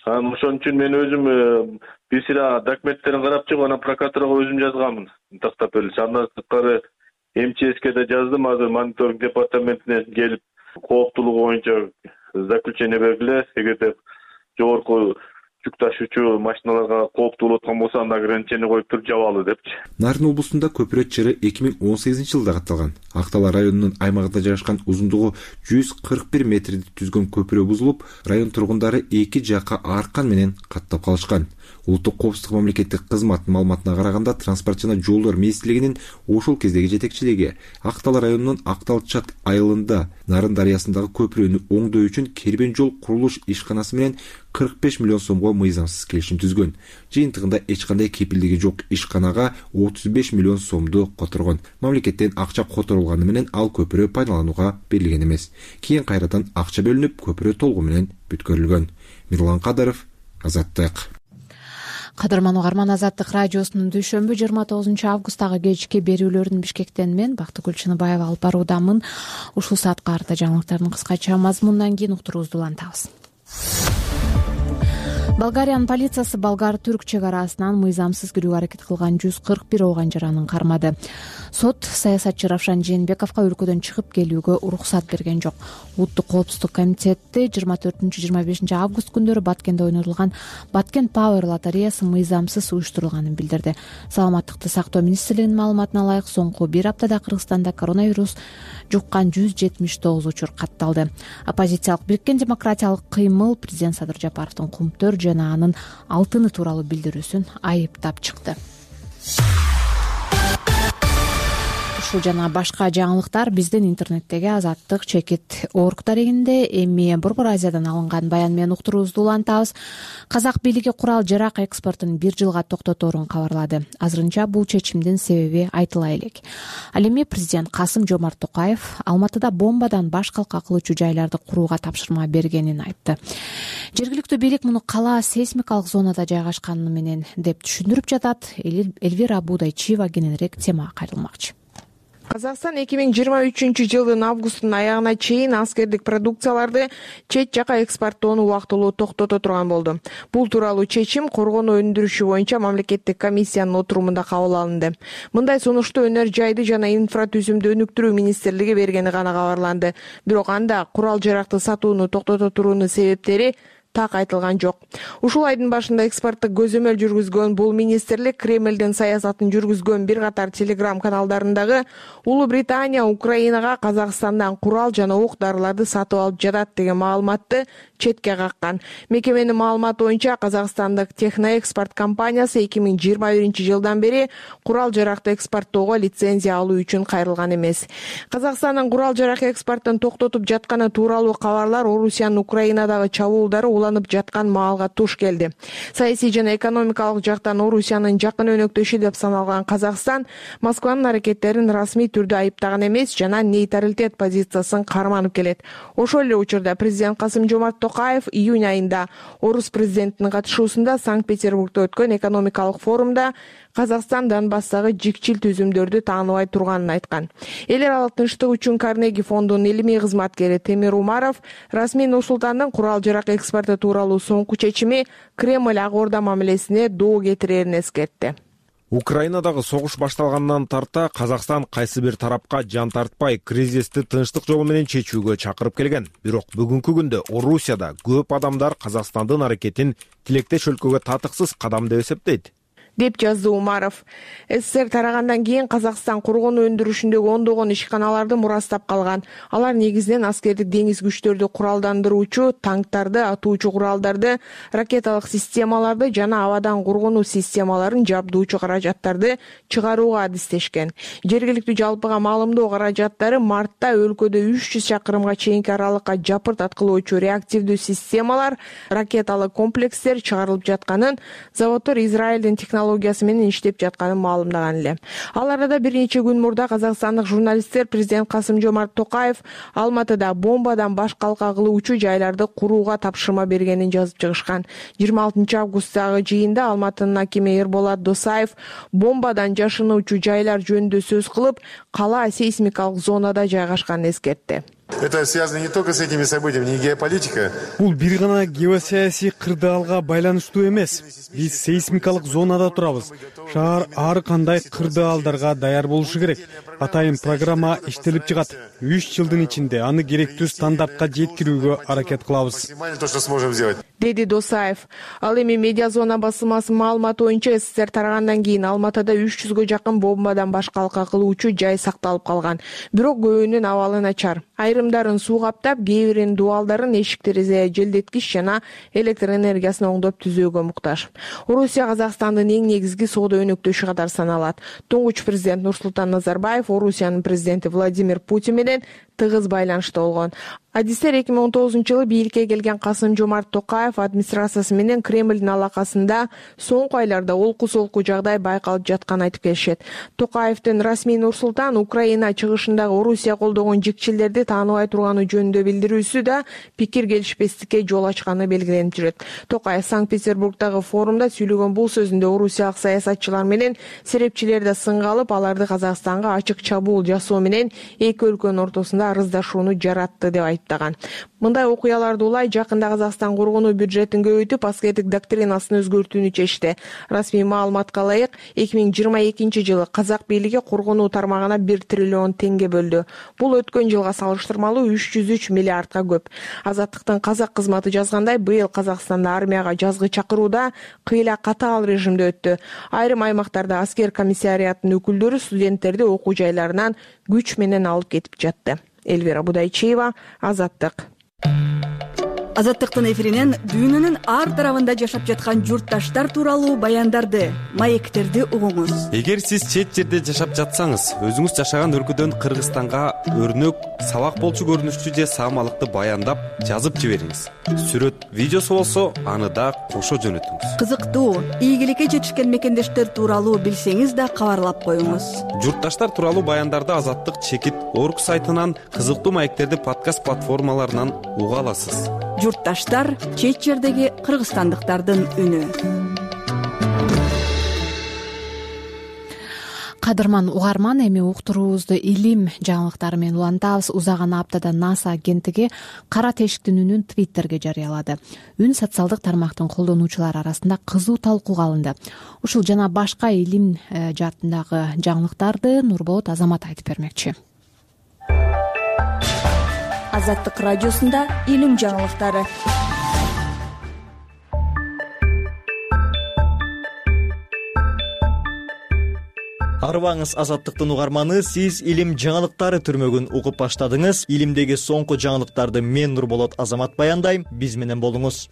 Ошон үчүн мен өзүм бир сыйра документтерин карап чыгып, анан прокуратурага өзүм жазганмын. Тактап эле андан сырткары МЧСке да жаздым. Азыр мониторинг департаментине келип, кооптуулугу боюнча заключение бергиле. Эгерде жогорку жүк ташуучу машиналарга кооптуу болуп аткан болсо, анда ограничение коюп туруп жабалы депчи. Нарын облусунда көпүрө чыры 2018-жылда катталган. Актала районунун аймагында жайгашкан узундугу 141 метрди түзгөн көпүрө бузулуп, район тургундары эки жакка аркан менен каттап калышкан. Улуттук коопсуздук мамлекеттик кызматтын маалыматына караганда, транспорт жана жолдор министрлигинин ошол кездеги жетекчилиги Актала районунун Актал-Чат айылында Нарын дарыясындагы көпүрөнү оңдоо үчүн Кербен жол курулуш ишканасы менен 45 миллион сомго мыйзамсыз келишим түзгөн. Жыйынтыгында эч кандай кепилдиги жок ишканага 35 миллион сомду которгон. Мамлекеттен акча которулганы менен ал көпүрө пайдаланууга берилген эмес. Кийин кайрадан акча бөлүнүп, көпүрө толугу менен бүткөрүлгөн. Мирлан Кадыров, Азаттык. Кадырман угарман, Азаттык радиосунун дүйшөмбү 29 августтагы кечки берүүлөрүн Бишкектен мен Бактыгүл Чыныбаева алып баруудамын. Ушул саатка арта жаңылыктардын кыскача мазмунунан кийин уктуруубузду улантабыз. Болгариянын полициясы болгар-түрк чек арасынан мыйзамсыз кирүүгө аракет кылган 141 ооған жаранын кармады. Сот саясатчы Равшан Жээнбековго өлкөдөн чыгып келүүгө уруксат берген жок. Улуттук коопсуздук комитети 24-25 август күндөрү Баткенде ойнотулган Баткен Power лотереясы мыйзамсыз уюштурулганын билдирди. Саламаттыкты сактоо министрлигинин маалыматына ылайык, соңку бир аптада Кыргызстанда коронавирус жуккан 179 учур катталды. Оппозициялык Бириккен демократиялык кыймыл президент Садыр Жапаровдун Кумтөр жана анын алтыны тууралуу билдирүүсүн айыптап чыкты. Ушул жана башка жаңылыктар биздин интернеттеги Азаттык _org дарегинде. Эми Борбор Азиядан алынган баян менен уктуруубузду улантабыз. Казак бийлиги курал жарак экспортун 1 жылга токтоторун кабарлады. Азырынча бул чечимдин себеби айтыла элек. Ал эми президент Касым Жомарт Токаев Алматыда бомбадан баш калка кылуучу жайларды курууга тапшырма бергенин айтты. Жергиликтүү бийлик муну кала сейсмикалык зонада жайгашканы менен деп түшүндүрүп жатат. Элвира Будайчиева кененирээк темага кайрылмакчы. Казакстан 2023-жылдын августтун аягына чейин аскердик продукцияларды чет жака экспорттоону убактылуу токтото турган болду. Бул тууралуу чечим коргонуу өндүрүшү боюнча мамлекеттик комиссиянын отурумунда кабыл алынды. Мындай сунушту өнөр жайды жана инфратүзүмдү өнүктүрүү министрлиги бергени гана кабарланды. Бирок анда курал-жаракты сатууну токтото туруунун себептери так айтылган жок. Ушул айдын башында экспорттук көзөмөл жүргүзгөн бул министрлик Кремлдин саясатын жүргүзгөн бир катар телеграм каналдарындагы Улуу Британия Украинага Казакстандан курал жана ок-дарыларды сатып алып жатат деген маалыматты четке каккан. Мекеменин маалыматы боюнча Казакстандык Техноэкспорт компаниясы 2021-жылдан бери курал-жаракты экспорттоого лицензия алуу үчүн кайрылган эмес. Казакстандын курал-жарак экспортун токтотуп жатканы тууралуу кабарлар Орусиянын Украинадагы чабуулдары уланып жаткан маалга туш келди. Саясий жана экономикалык жактан Орусиянын жакын өнөктөшү деп саналган Казакстан Москванын аракеттерин расмий түрдө айыптаган эмес жана нейтралитет позициясын карманып келет. Ошол эле учурда президент Касым-Жомарт Токаев июнь айында орус президентинин катышуусунда Санкт-Петербургда өткөн экономикалык форумда Казакстан Донбасстагы жикчил түзүмдөрдү тааныбай турганын айткан. Эл аралык тынчтык үчүн Карнеги фондунун илимий кызматкери Темир Умаров расмий Нур-Султандын курал-жарак экспорту тууралуу соңку чечими Кремль Ак Орда мамилесине доо кетирерин эскертти. Украинадагы согуш башталгандан тарта Казакстан кайсы бир тарапка жан тартпай кризисти тынчтык жолу менен чечүүгө чакырып келген. Бирок бүгүнкү күндө Орусияда көп адамдар Казакстандын аракетин тилектеш өлкөгө татыксыз кадам деп эсептейт, деп жазды Умаров. СССР тарагандан кийин Казакстан коргонуу өндүрүшүндөгү ондогон ишканаларды мурастап калган. Алар негизинен аскердик деңиз күчтөрдү куралдандыруучу, танктарды, атуучу куралдарды, ракеталык системаларды жана абадан коргонуу системаларын жабдуучу каражаттарды чыгарууга адистешкен. Жергиликтүү жалпыга маалымдоо каражаттары мартта өлкөдө 300 чакырымга чейинки аралыкка жапырт аткылоочу реактивдүү системалар, ракеталык комплекстер чыгарылып жатканын, заводдор Израилдин технологиясы менен иштеп жатканын маалымдаган эле. Ал арада бир нече күн мурда казакстандык журналисттер президент Касым-Жомарт Токаев Алматыда бомбадан баш калка кылуучу жайларды курууга тапшырма бергенин жазып чыгышкан. 26 августтагы жыйында Алматынын акими Эрболат Досаев бомбадан жашынуучу жайлар жөнүндө сөз кылып, кала сейсмикалык зонада жайгашканын эскертти. Это связано не только с этими событиями, не геополитика. Бул бир гана геосаясий кырдаалга байланыштуу эмес. Биз сейсмикалык зонада турабыз. Шаар ар кандай кырдаалдарга даяр болушу керек. Атайын программа иштелип чыгат. 3 жылдын ичинде аны керектүү стандартка жеткирүүгө аракет кылабыз, деди Досаев. Ал эми медиа зона басылмасынын маалыматы боюнча СССР тарагандан кийин Алматыда 300гө жакын бомбадан баш калка кылуучу жай сакталып калган. Бирок көбүнүн абалы начар. Айрымдарын суу каптап, кээ биринин дубалдарын эшик-терезе желдеткич жана электр энергиясын оңдоп түзөөгө муктаж. Орусия Казакстандын эң негизги соода өнөктөшү катары саналат. Туңгуч президент Нурсултан Назарбаев Орусиянын президенти Владимир Путин менен тыгыз байланышта болгон. Адистер 2019-жылы бийликке келген Касым-Жомарт Токаев администрациясы менен Кремлдин алакасында соңку айларда олку-солку жагдай байкалып жатканын айтып келишет. Токаевдин расмий Нур-Султан Украина чыгышындагы Орусия колдогон жикчилерди тааныбай турганы жөнүндө билдирүүсү да пикир келишпестикке жол ачканы белгиленип жүрөт. Токаев Санкт-Петербургдагы форумда сүйлөгөн бул сөзүндө орусиялык саясатчылар менен серепчилерди сынга алып, аларды Казакстанга ачык чабуул жасоо менен эки өлкөнүн ортосунда арыздашууну жаратты деп айыптаган. Мындай окуяларды улай жакында Казакстан коргонуу бюджетин көбөйтүп, аскердик доктринасын өзгөртүүнү чечти. Расмий маалыматка ылайык 2022-жылы казак бийлиги коргонуу тармагына 1 триллион теңге бөлдү. Бул өткөн жылга салыштырмалуу 303 миллиардга көп. Азаттыктын казак кызматы жазгандай, быйыл Казакстанда армияга жазгы чакырууда кыйла катаал режимде өттү. Айрым аймактарда аскер комиссариятынын өкүлдөрү студенттерди окуу жайларынан күч менен алып кетип жатты. Эльвира Будайчиева, Азаттык. Азаттыктын эфиринен дүйнөнүн ар тарабында жашап жаткан журтташтар тууралуу баяндарды, маектерди угуңуз. Эгер сиз чет жерде жашап жатсаңыз, өзүңүз жашаган өлкөдөн Кыргызстанга өрнөк, сабак болчу көрүнүштүү же саамалыкты баяндап жазып жибериңиз. Сүрөт, видеосу болсо, аны да кошо жөнөтүңүз. Кызыктуу, ийгиликке жетишкен мекендештер тууралуу билсеңиз да кабарлап коюңуз. Журтташтар тууралуу баяндарды Азаттык чекит орг сайтынан, кызыктуу маектерди подкаст платформаларынан уга аласыз. Журтташтар — чет жердеги кыргызстандыктардын үнү. Кадырман угарман, эми уктуруубузду илим жаңылыктары менен улантабыз. Узаган аптада НАСА агенттиги кара тешиктин үнүн Твиттерге жарыялады. Үн социалдык тармактын колдонуучулары арасында кызуу талкууга алынды. Ушул жана башка илим жаатындагы жаңылыктарды Нурболот Азамат айтып бермекчи. Азаттык радиосунда илим жаңылыктары. Арыбаңыз, Азаттыктын угарманы, сиз илим жаңылыктары түрмөгүн угуп баштадыңыз. Илимдеги соңку жаңылыктарды мен Нурболот Азамат баяндайм. Биз менен болуңуз.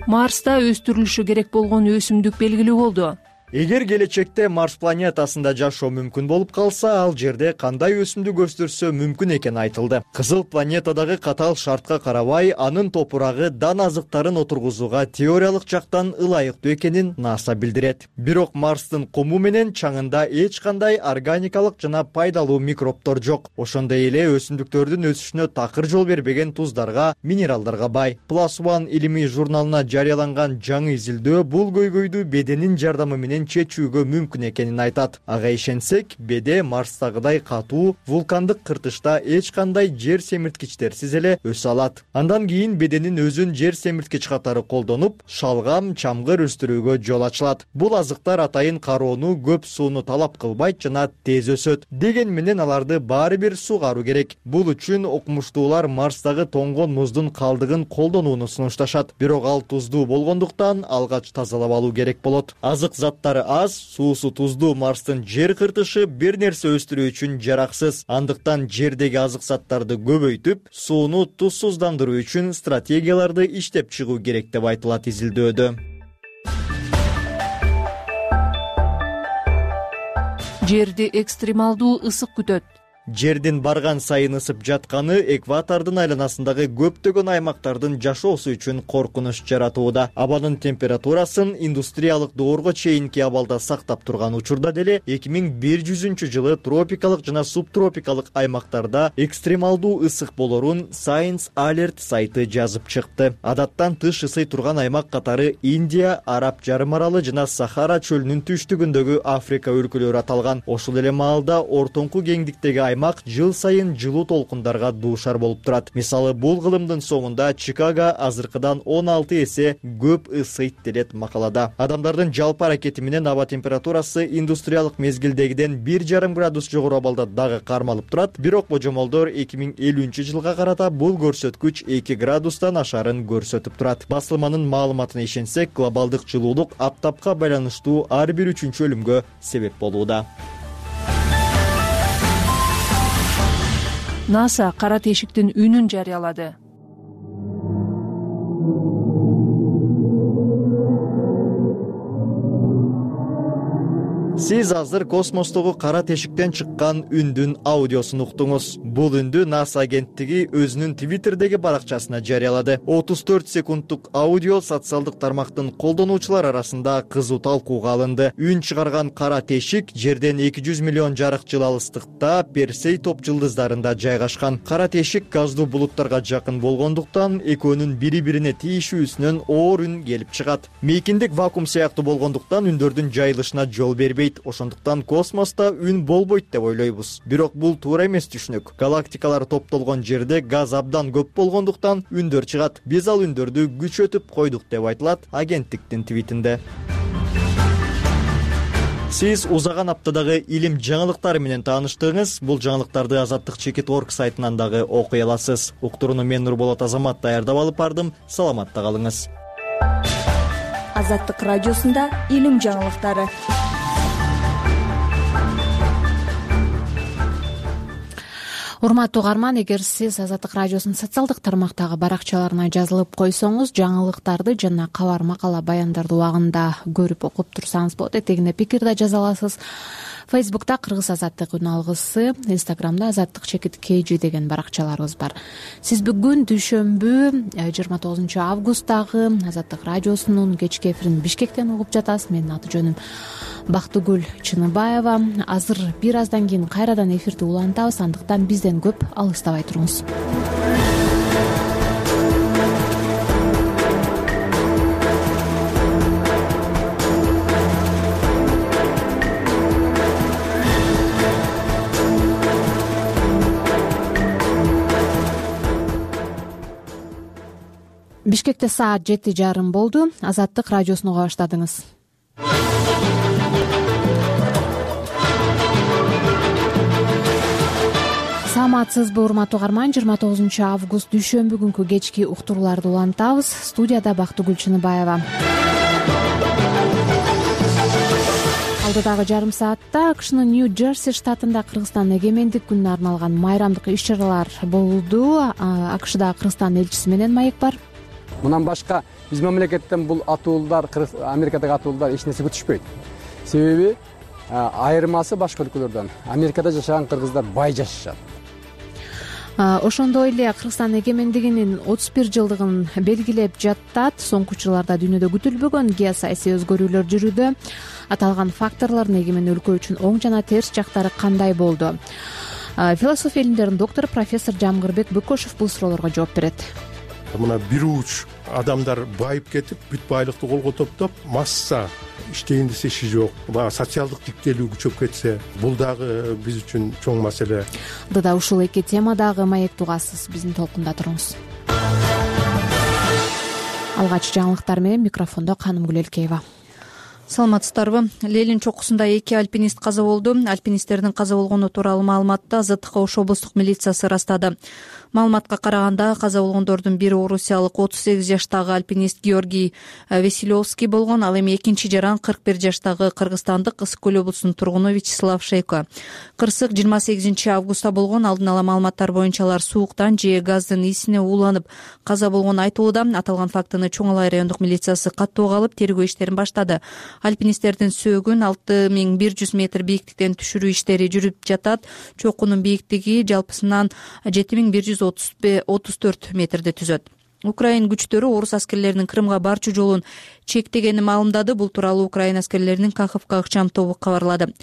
Марста өстүрүлүшү керек болгон өсүмдүк белгилүү болду. Эгер келечекте Марс планетасында жашоо мүмкүн болуп калса, ал жерде кандай өсүмдүк өстүрсө мүмкүн экени айтылды. Кызыл планетадагы катаал шартка карабай, анын топурагы дан азыктарын отургузууга теориялык жактан ылайыктуу экенин НАСА билдирет. Бирок Марстын кому менен чаңында эч кандай органикалык жана пайдалуу микробдор жок. Ошондой эле өсүмдүктөрдүн өсүшүнө такыр жол бербеген туздарга, минералдарга бай. Plus One илимий журналына жарыяланган жаңы изилдөө бул көйгөйдү беденин жардамы менен чечүүгө мүмкүн экенин айтат. Ага ишенсек, беде Марстагыдай катуу, вулкандык кыртышта эч кандай жер семирткичтерсиз эле өсө алат. Андан кийин беденин өзүн жер семирткич катары колдонуп, шалгам, чамгыр өстүрүүгө жол ачылат. Бул азыктар атайын кароону, көп сууну талап кылбайт жана тез өсөт. Деген менен аларды баары бир сугаруу керек. Бул үчүн окумуштуулар Марстагы тоңгон муздун калдыгын колдонууну сунушташат. Бирок ал туздуу болгондуктан алгач тазалап алуу керек болот. Азык заттары аз, суусу туздуу Марстын жер кыртышы бир нерсе өстүрүү үчүн жараксыз. Андыктан жердеги азык заттарды көбөйтүп, сууну тузсуздандыруу үчүн стратегияларды иштеп чыгуу керек деп айтылат изилдөөдө. Жерди экстремалдуу ысык күтөт. Жердин барган сайын ысып жатканы экватордун айланасындагы көптөгөн аймактардын жашоосу үчүн коркунуч жаратууда. Абанын температурасын индустриялык доорго чейинки абалда сактап турган учурда деле 2100-жылы тропикалык жана субтропикалык аймактарда экстремалдуу ысык болорун Science Alert сайты жазып чыкты. Адаттан тыш ысый турган аймак катары Индия, Араб жарым аралы жана Сахара чөлүнүн түштүгүндөгү Африка өлкөлөрү аталган. Ошол эле маалда ортоңку кеңдиктеги аймак жыл сайын жылуу толкундарга дуушар болуп турат. Мисалы, бул кылымдын соңунда Чикаго азыркыдан 16 эсе көп ысыйт делет макалада. Адамдардын жалпы аракети менен аба температурасы индустриялык мезгилдегиден 1,5 градус жогору абалда дагы кармалып турат. Бирок божомолдор 2050-жылга карата бул көрсөткүч 2 градустан ашарын көрсөтүп турат. Басылманын маалыматына ишенсек, глобалдык жылуулук аптапка байланыштуу ар бир 3-чү өлүмгө себеп болууда. НАСА кара тешиктин үнүн жарыялады. Сиз азыр космостогу кара тешиктен чыккан үндүн аудиосун уктуңуз. Бул үндү НАСА агенттиги өзүнүн Твиттердеги баракчасына жарыялады. 34 секундтук аудио социалдык тармактын колдонуучулар арасында кызуу талкууга алынды. Үн чыгарган кара тешик жерден 200 миллион жарык жыл алыстыкта Персей топ жылдыздарында жайгашкан. Кара тешик газдуу булуттарга жакын болгондуктан экөөнүн бири-бирине тийишүүсүнөн оор үн келип чыгат. Мейкиндик вакуум сыяктуу болгондуктан үндөрдүн жайылышына жол бербейт. Ошондуктан космоста үн болбойт деп ойлойбуз. Бирок бул туура эмес түшүнүк. Галактикалар топтолгон жерде газ абдан көп болгондуктан үндөр чыгат. Биз ал үндөрдү күчөтүп койдук деп айтылат агенттиктин твитинде. Сиз узаган аптадагы илим жаңылыктары менен тааныштыңыз. Бул жаңылыктарды Азаттык.org сайтынан дагы окуй аласыз. Уктурууну мен Нурболот Азамат даярдап алып бардым. Саламатта калыңыз. Азаттык радиосунда илим жаңылыктары. Урматтуу угарман, эгер сиз Азаттык радиосунун социалдык тармактагы баракчаларына жазылып койсоңуз, жаңылыктарды жана кабар, макала, баяндарды убагында көрүп окуп турсаңыз болот. Этегине пикир да жаза аласыз. Фейсбукта Кыргыз азаттык үн алгысы, Инстаграмда Азаттык_KG деген баракчаларыбыз бар. Сиз бүгүн дүйшөмбү 29 августтагы Азаттык радиосунун кечки эфирин Бишкектен угуп жатасыз. Менин аты жөнүм Бактыгүл Чыныбаева. Азыр бир аздан кийин кайрадан эфирди улантабыз, андыктан бизден көп алыстабай туруңуз. Бишкекте саат 7:30 болду. Азаттык радиосун уга баштадыңыз. Саламатсызбы урматтуу угарман, 29 август дүйшөмбү күнкү кечки уктурууларды улантабыз. Студияда Бактыгүл Чыныбаева. Алдыдагы жарым саатта АКШнын Нью-Джерси штатында Кыргызстан эгемендик күнүнө арналган майрамдык иш-чаралар болду. АКШда Кыргызстан элчиси менен маек бар. Мындан башка биз мамлекеттен бул атуулдар, Америкадагы атуулдар эч нерсе күтүшпөйт. Себеби айырмасы башка өлкөлөрдөн Америкада жашаган кыргыздар бай жашашат. Ошондой эле Кыргызстан эгемендигинин 31 жылдыгын белгилеп жаттат. Соңку жылдарда дүйнөдө күтүлбөгөн геосаясий өзгөрүүлөр жүрүүдө. Аталган факторлордун эгемен өлкө үчүн оң жана терс жактары кандай болду? Философия илимдеринин доктору профессор Жамгырбек Бөкөшев бул суроолорго жооп берет. Мына бир уч адамдар байып кетип, бүт байлыкты колго топтоп, масса иштейин десе иши жок. Баягы социалдык тиктелүү күчөп кетсе, бул дагы биз үчүн чоң маселе. Дада ушул эки темадагы маекти угасыз. Биздин толкунда туруңуз. Алгач жаңылыктар менен микрофондо Канымгүл Элкеева. Саламатсыздарбы? Лелин чокусунда 2 альпинист каза болду. Альпинисттердин каза болгону тууралуу маалыматты Азаттык Ош облустук милициясы ырастады. Маалыматка караганда каза болгондордун бири орусиялык 38 жаштагы альпинист Георгий Василевский болгон. Ал эми экинчи жаран 41 жаштагы кыргызстандык Ысык Көл облусунун тургуну Вячеслав Шейко. Кырсык 28 августта болгон. Алдын ала маалыматтар боюнча алар сууктан же газдын исине ууланып каза болгону айтылууда. Аталган фактыны Чоң Алай райондук милициясы каттоого алып, тергөө иштерин баштады. Альпинисттердин сөөгүн 6100 метр бийиктиктен түшүрүү иштери жүрүп жатат. Чокунун бийиктиги жалпысынан 7134 метрди түзөт. Украин күчтөрү орус аскерлеринин Крымга барчу жолун чектегени маалымдады. Бул тууралуу Украин аскерлеринин Каховка ыкчам тобу кабарлады.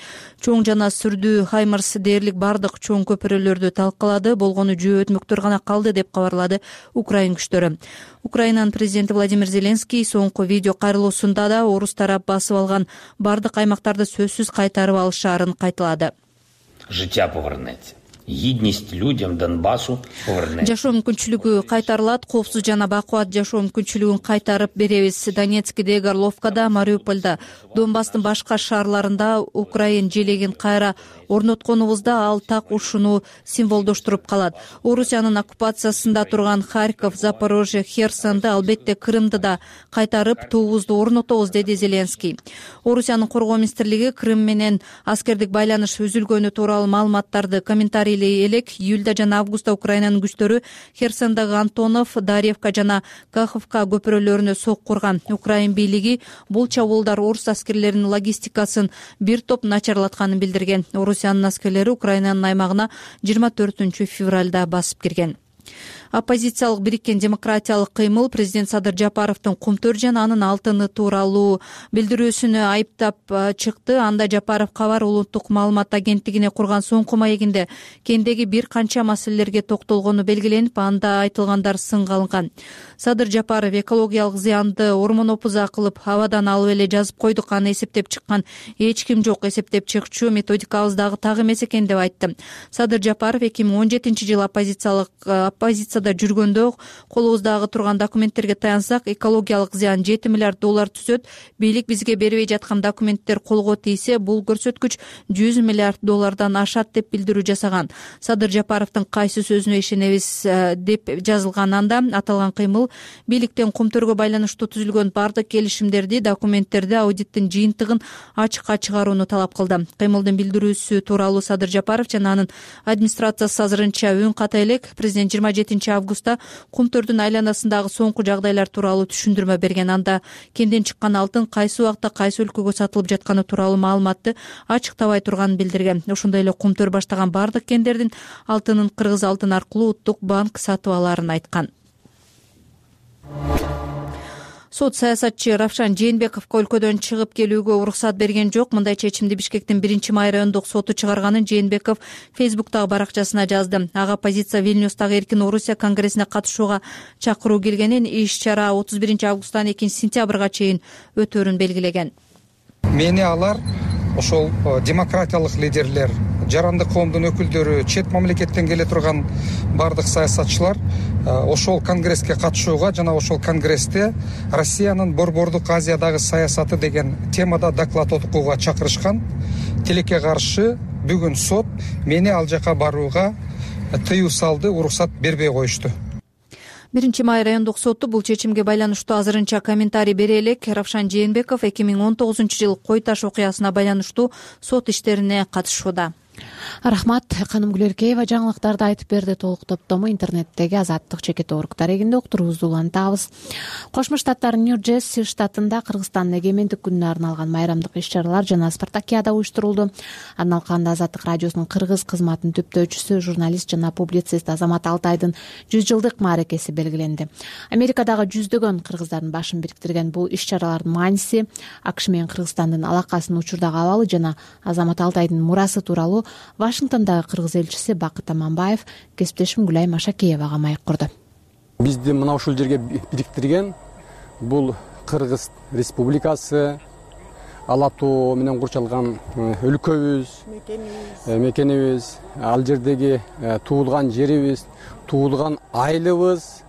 Чоң жана Сүрдүү Хаймарс дээрлик бардык чоң көпүрөлөрдү талкалады. Болгону жөө өтмөктөр гана калды деп кабарлады Украин күчтөрү. Украинанын президенти Владимир Зеленский соңку видео кайрылуусунда да орус тарап басып алган бардык аймактарды сөзсүз кайтарып алышаарын кайталады. Життя повернеться. Гидность людям Донбассу повернеться. Жашоо мүмкүнчүлүгү кайтарылат. Коопсуз жана бакубат жашоо мүмкүнчүлүгүн кайтарып беребиз. Донецкиде, Горловкада, Мариуполда, Донбасстын башка шаарларында Украин желегин кайра орнотконубузда ал так ушуну символдоштуруп калат. Орусиянын оккупациясында турган Харьков, Запорожье, Херсонду, албетте Крымды да кайтарып туубузду орнотобуз, деди Зеленский. Орусиянын коргоо министрлиги Крым менен аскердик байланыш үзүлгөнү тууралуу маалыматтарды комментарий элек. Июлда жана августта Украинанын күчтөрү Херсондогу Антонов, Дарьевка жана Каховка көпүрөлөрүнө сокку урган. Украин бийлиги бул чабуулдар орус аскерлеринин логистикасын бир топ начарлатканын билдирген. Орусиянын аскерлери Украинанын аймагына 24 февралда басып кирген. Оппозициялык бириккен демократиялык кыймыл президент Садыр Жапаровдун Кумтөр жана анын алтыны тууралуу билдирүүсүнө айыптап чыкты. Анда Жапаров Кабар улуттук маалымат агенттигине курган соңку маегинде кендеги бир канча маселелерге токтолгону белгиленип, анда айтылгандар сынга алынган. Садыр Жапаров экологиялык зыянды ормон опуза кылып абадан алып эле жазып койдук, аны эсептеп чыккан эч ким жок, эсептеп чыкчу методикабыз дагы так эмес экен деп айтты. Садыр Жапаров 2017-жылы оппозицияда жүргөндө колубуздагы турган документтерге таянсак, экологиялык зыян $7 миллиард түзөт. Бийлик бизге бербей жаткан документтер колго тийсе, бул көрсөткүч $100 миллиард ашат деп билдирүү жасаган. Садыр Жапаровдун кайсы сөзүнө ишенебиз деп жазылган анда. Аталган кыймыл бийликтен Кумтөргө байланыштуу түзүлгөн бардык келишимдерди, документтерди, аудиттин жыйынтыгын ачыкка чыгарууну талап кылды. Кыймылдын билдирүүсү тууралуу Садыр Жапаров жана анын администрациясы азырынча үн ката элек. Президент 27 августта Кумтөрдүн айланасындагы соңку жагдайлар тууралуу түшүндүрмө берген. Анда кенден чыккан алтын кайсы убакта кайсы өлкөгө сатылып жатканы тууралуу маалыматты ачыктабай турганын билдирген. Ошондой эле Кумтөр баштаган бардык кендердин алтынын Кыргыз алтын аркылуу Улуттук банк сатып алаарын айткан. Сот саясатчы Равшан Жээнбековго өлкөдөн чыгып келүүгө уруксат берген жок. Мындай чечимди Бишкектин 1-май райондук соту чыгарганын Жээнбеков Фейсбуктагы баракчасына жазды. Ага оппозиция Вильнюстагы эркин Орусия конгрессине катышууга чакыруу келгенин, иш-чара 31 августтан 2 сентябрга чейин өтөөрүн белгилеген. Мени алар ошол демократиялык лидерлер, жарандык коомдун өкүлдөрү, чет мамлекеттен келе турган баардык саясатчылар ошол конгресске катышууга жана ошол конгрессте Россиянын Борбордук Азиядагы саясаты деген темада доклад окууга чакырышкан. Тилекке каршы бүгүн сот мени ал жака барууга тыюу салды, уруксат бербей коюшту. 1-май райондук соту бул чечимге байланыштуу азырынча комментарий бере элек. Равшан Жээнбеков 2019-жылы Кой Таш окуясына байланыштуу сот иштерине катышууда. Рахмат. Каным Гүлеркеева жаңылыктарды айтып берди. Толук топтому интернеттеги Азаттык чекит орг дарегинде уктуруубузду улантабыз. Кошмо Штаттар Нью-Джерси штатында Кыргызстандын эгемендик күнүнө арналган майрамдык иш-чаралар жана спартакиада уюштурулду. Арналганда Азаттык радиосунун кыргыз кызматынын түптөөчүсү, журналист жана публицист Азамат Алтайдын 100 жылдык мааракеси белгиленди. Америкадагы жүздөгөн кыргыздардын башын бириктирген бул иш-чаралардын мааниси АКШ менен Кыргызстандын алакасынын учурдагы абалы жана Азамат Алтайдын мурасы тууралуу Вашингтондагы кыргыз элчиси Бакыт Аманбаев кесиптешим Гүлай Машакеевага маек курду. Бизди мына ушул жерге бириктирген бул Кыргыз Республикасы, Ала тоо менен курчалган өлкөбүз, мекенибиз, ал жердеги туулган жерибиз, туулган айылыбыз,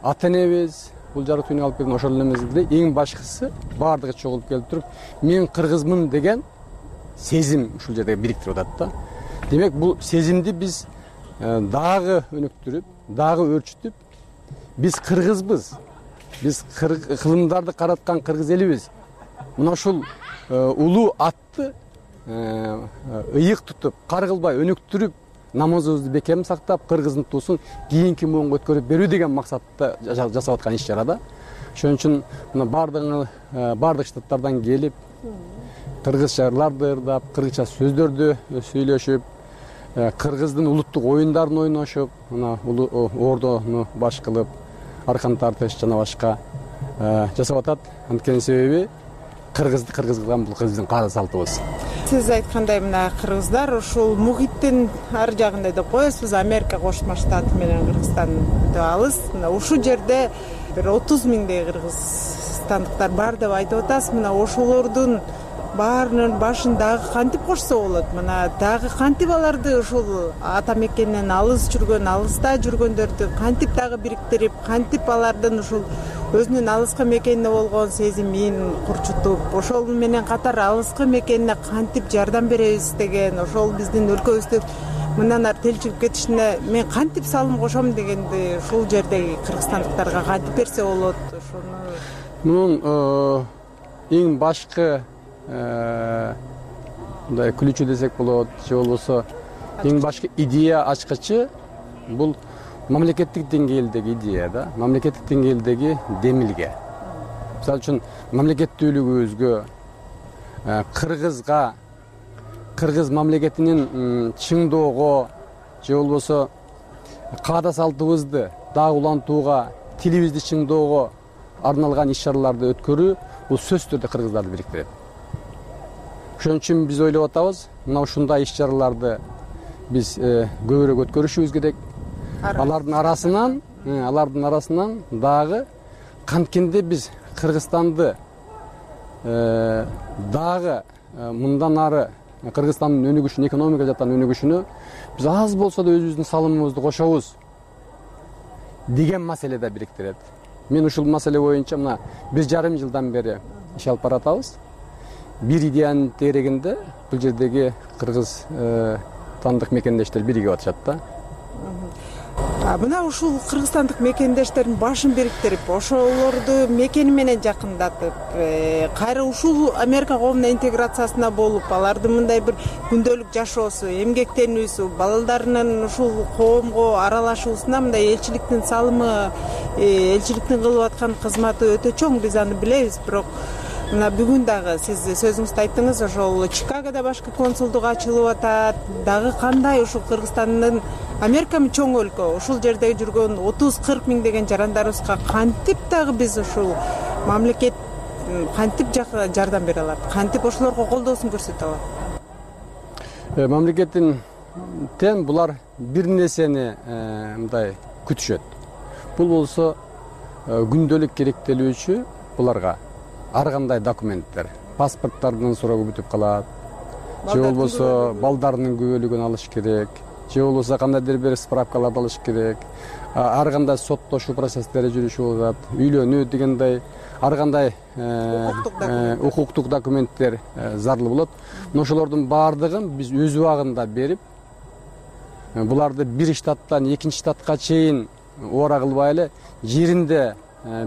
ата энебиз, бул жарык дүйнөгө алып келген ошол эмесде эң башкысы баардыгы чогулуп келип туруп, мен кыргызмын деген сезим ушул жерде бириктирип атат да. Демек бул сезимди биз дагы өнүктүрүп, дагы өрчүтүп, биз кыргызбыз. Биз кылымдарды караткан кыргыз элибиз. Мына ушул улуу атты ыйык тутуп, каргылбай өнүктүрүп, намазыбызды бекем сактап, кыргыздын туусун кийинки муунга өткөрүп берүү деген максатта жасап аткан иш-чара да. Ошон үчүн мына баардык штаттардан келип, кыргызча ырларды ырдап, кыргызча сөздөрдү сүйлөшүп, кыргыздын улуттук оюндарын ойношуп, мына ордону баш кылып, аркан тартыш жана башка жасап атат. Анткени себеби кыргызды кыргыз кылган бул биздин каада салтыбыз. Сиз айткандай мына кыргыздар ушул мухиттин ар жагында деп коебуз. Биз Америка Кошмо Штаты менен Кыргызстан өтө алыс. Мына ушул жерде бир 30 миңдей кыргызстандыктар бар деп айтып атасыз. Мына ошолордун баарынын башын дагы кантип кошсо болот? Мына дагы кантип аларды ушул ата мекенинен алыста жүргөндөрдү кантип дагы бириктирип, кантип алардын ушул өзүнүн алыскы мекенине болгон сезимин курчутуп, ошол менен катар алыскы мекенине кантип жардам беребиз деген, ошол биздин өлкөбүздү мындан ары телчилип кетишине мен кантип салым кошом дегенди ушул жердеги кыргызстандыктарга кантип берсе болот? Ошону мунун эң башкы мындай күлүүчү десек болот, же болбосо эң башкы идея ачкычы бул мамлекеттик деңгээлдеги идея да, мамлекеттик деңгээлдеги демилге. Мисалы үчүн мамлекеттүүлүгүбүзгө, кыргызга, кыргыз мамлекетинин чыңдоого, же болбосо каада салтыбызды дагы улантууга, тилибизди чыңдоого арналган иш-чараларды өткөрүү бул сөзсүз түрдө кыргыздарды бириктирет. Ошон үчүн биз ойлоп атабыз, мына ушундай иш-чараларды биз көбүрөөк өткөрүшүбүз керек. Алардын арасынан дагы канткенде биз Кыргызстанды дагы мындан ары Кыргызстандын өнүгүшүн, экономика жактан өнүгүшүнө биз аз болсо да өзүбүздүн салымыбызды кошобуз деген маселеде бириктирет. Мен ушул маселе боюнча мына 1,5 жылдан бери иш алып баратабыз. Бир идеянын тегерегинде бул жердеги кыргыз тандык мекендештер биригип атышат да. Мына ушул кыргызстандык мекендештердин башын бириктирип, ошолорду мекени менен жакындатып, кайра ушул Америка коомуна интеграциясына болуп, алардын мындай бир күндөлүк жашоосу, эмгектенүүсү, балдарынын ушул коомго аралашуусуна мындай элчиликтин салымы, элчиликтин кылып аткан кызматы өтө чоң, биз аны билебиз. Бирок мына бүгүн дагы сиз сөзүңүздө айттыңыз, ошол Чикагода башкы консулдук ачылып атат. Дагы кандай ушул Кыргызстандын Америка чоң өлкө, ушул жерде жүргөн 30-40 миң деген жарандарыбызга кантип дагы биз ушул мамлекет кантип жардам бере алат? Кантип ошолорго колдоосун көрсөтө алат? Мамлекеттен булар бир нерсени мындай күтүшөт. Бул болсо күндөлүк керектелүүчү буларга ар кандай документтер, паспорттардын суроо бүтүп калат, же болбосо балдарынын күбөлүгүн алыш керек, же болбосо кандайдыр бир справкаларды алыш керек. Ар кандай соттошуу процесстери жүрүшүп атат, үйлөнүү дегендей ар кандай укуктук документтер зарыл болот. Ошолордун баардыгын биз өз убагында берип, буларды бир штаттан экинчи штатка чейин убара кылбай эле жеринде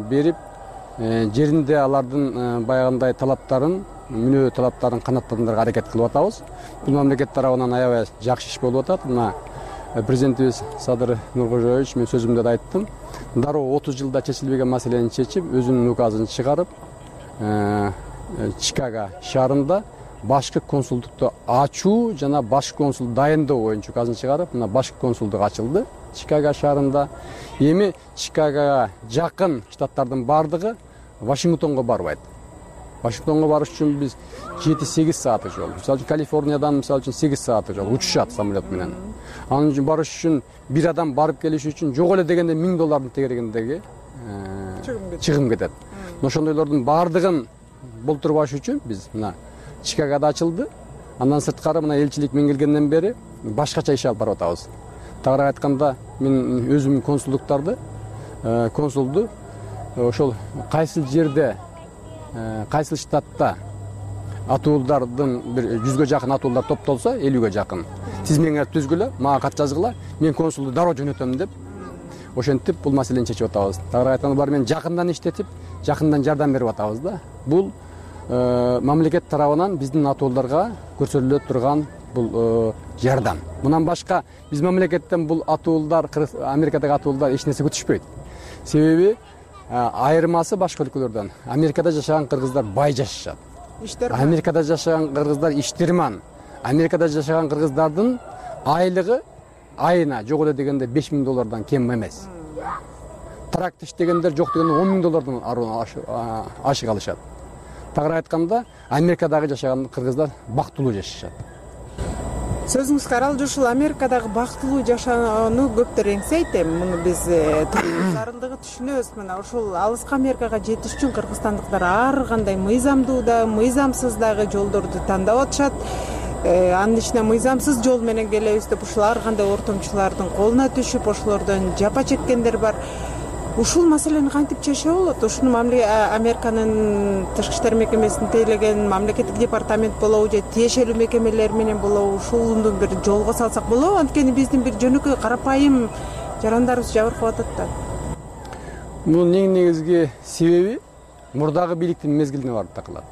берип, жеринде алардын баягындай талаптарын, мүнөө талаптарын канааттандырууга аракет кылып атабыз. Бул мамлекет тарабынан аябай жакшы иш болуп атат. Мына президентибиз Садыр Нуркожоевич, мен сөзүмдө да айттым, дароо 30 жылда чечилбеген маселени чечип, өзүнүн указын чыгарып, Чикаго шаарында башкы консулдукту ачуу жана башкы консул дайындоо боюнча указын чыгарып, мына башкы консулдук ачылды Чикаго шаарында. Эми Чикагога жакын штаттардын баардыгы Вашингтонго барбайт. Вашингтонго барыш үчүн биз 7-8 сааттык жол. Мисалы үчүн Калифорниядан мисалы үчүн 8 сааттык жол учушат самолет менен. Анын үчүн барыш үчүн бир адам барып келиш үчүн жок эле дегенде $1000 тегерегиндеги чыгым кетет. Ошондойлордун баардыгын болтурбаш үчүн биз мына Чикагода ачылды. Андан сырткары мына элчилик мен келгенден бери башкача иш алып барып атабыз. Тагыраак айтканда, мен өзүм консулду ошол кайсыл жерде, кайсыл штатта атуулдардын бир 100гө жакын атуулдар топтолсо, 50гө жакын тизмеңер түзгүлө, мага кат жазгыла, мен консулду дароо жөнөтөм деп ошентип бул маселени чечип атабыз. Тагыраак айтканда, баары менен жакындан иштетип, жакындан жардам берип атабыз да. Бул мамлекет тарабынан биздин атуулдарга көрсөтүлө турган бул жардам. Мындан башка биз мамлекеттен бул атуулдар, Америкадагы атуулдар эч нерсе күтүшпөйт. Себеби айырмасы башка өлкөлөрдөн. Америкада жашаган кыргыздар бай жашашат. Америкада жашаган кыргыздар иштерман. Америкада жашаган кыргыздардын айлыгы айына жок эле дегенде $5000 кем эмес. Тракт иштегендер жок дегенде $10,000 ашык алышат. Тагыраак айтканда, Америкадагы жашаган кыргыздар бактылуу жашашат. Сөзүңүз каралды, ушул Америкадагы бактылуу жашоону көптөр эңсейт. Муну биз зарылдыгы түшүнөбүз. Мына ушул алыскы Америкага жетиш үчүн кыргызстандыктар ар кандай мыйзамдуу да, мыйзамсыз дагы жолдорду тандап атышат. Анын ичине мыйзамсыз жол менен келебиз деп ушул ар кандай ортомчулардын колуна түшүп, ошолордон жапа чеккендер бар. Ушул маселени кантип чечсе болот? Ушуну Американын тышкы иштер мекемесин тейлеген мамлекеттик департамент болобу же тиешелүү мекемелер менен болобу, ушуну бир жолго салсак болобу? Анткени биздин бир жөнөкөй карапайым жарандарыбыз жабыркап атат да. Бунун эң негизги себеби мурдагы бийликтин мезгилине барып такылат.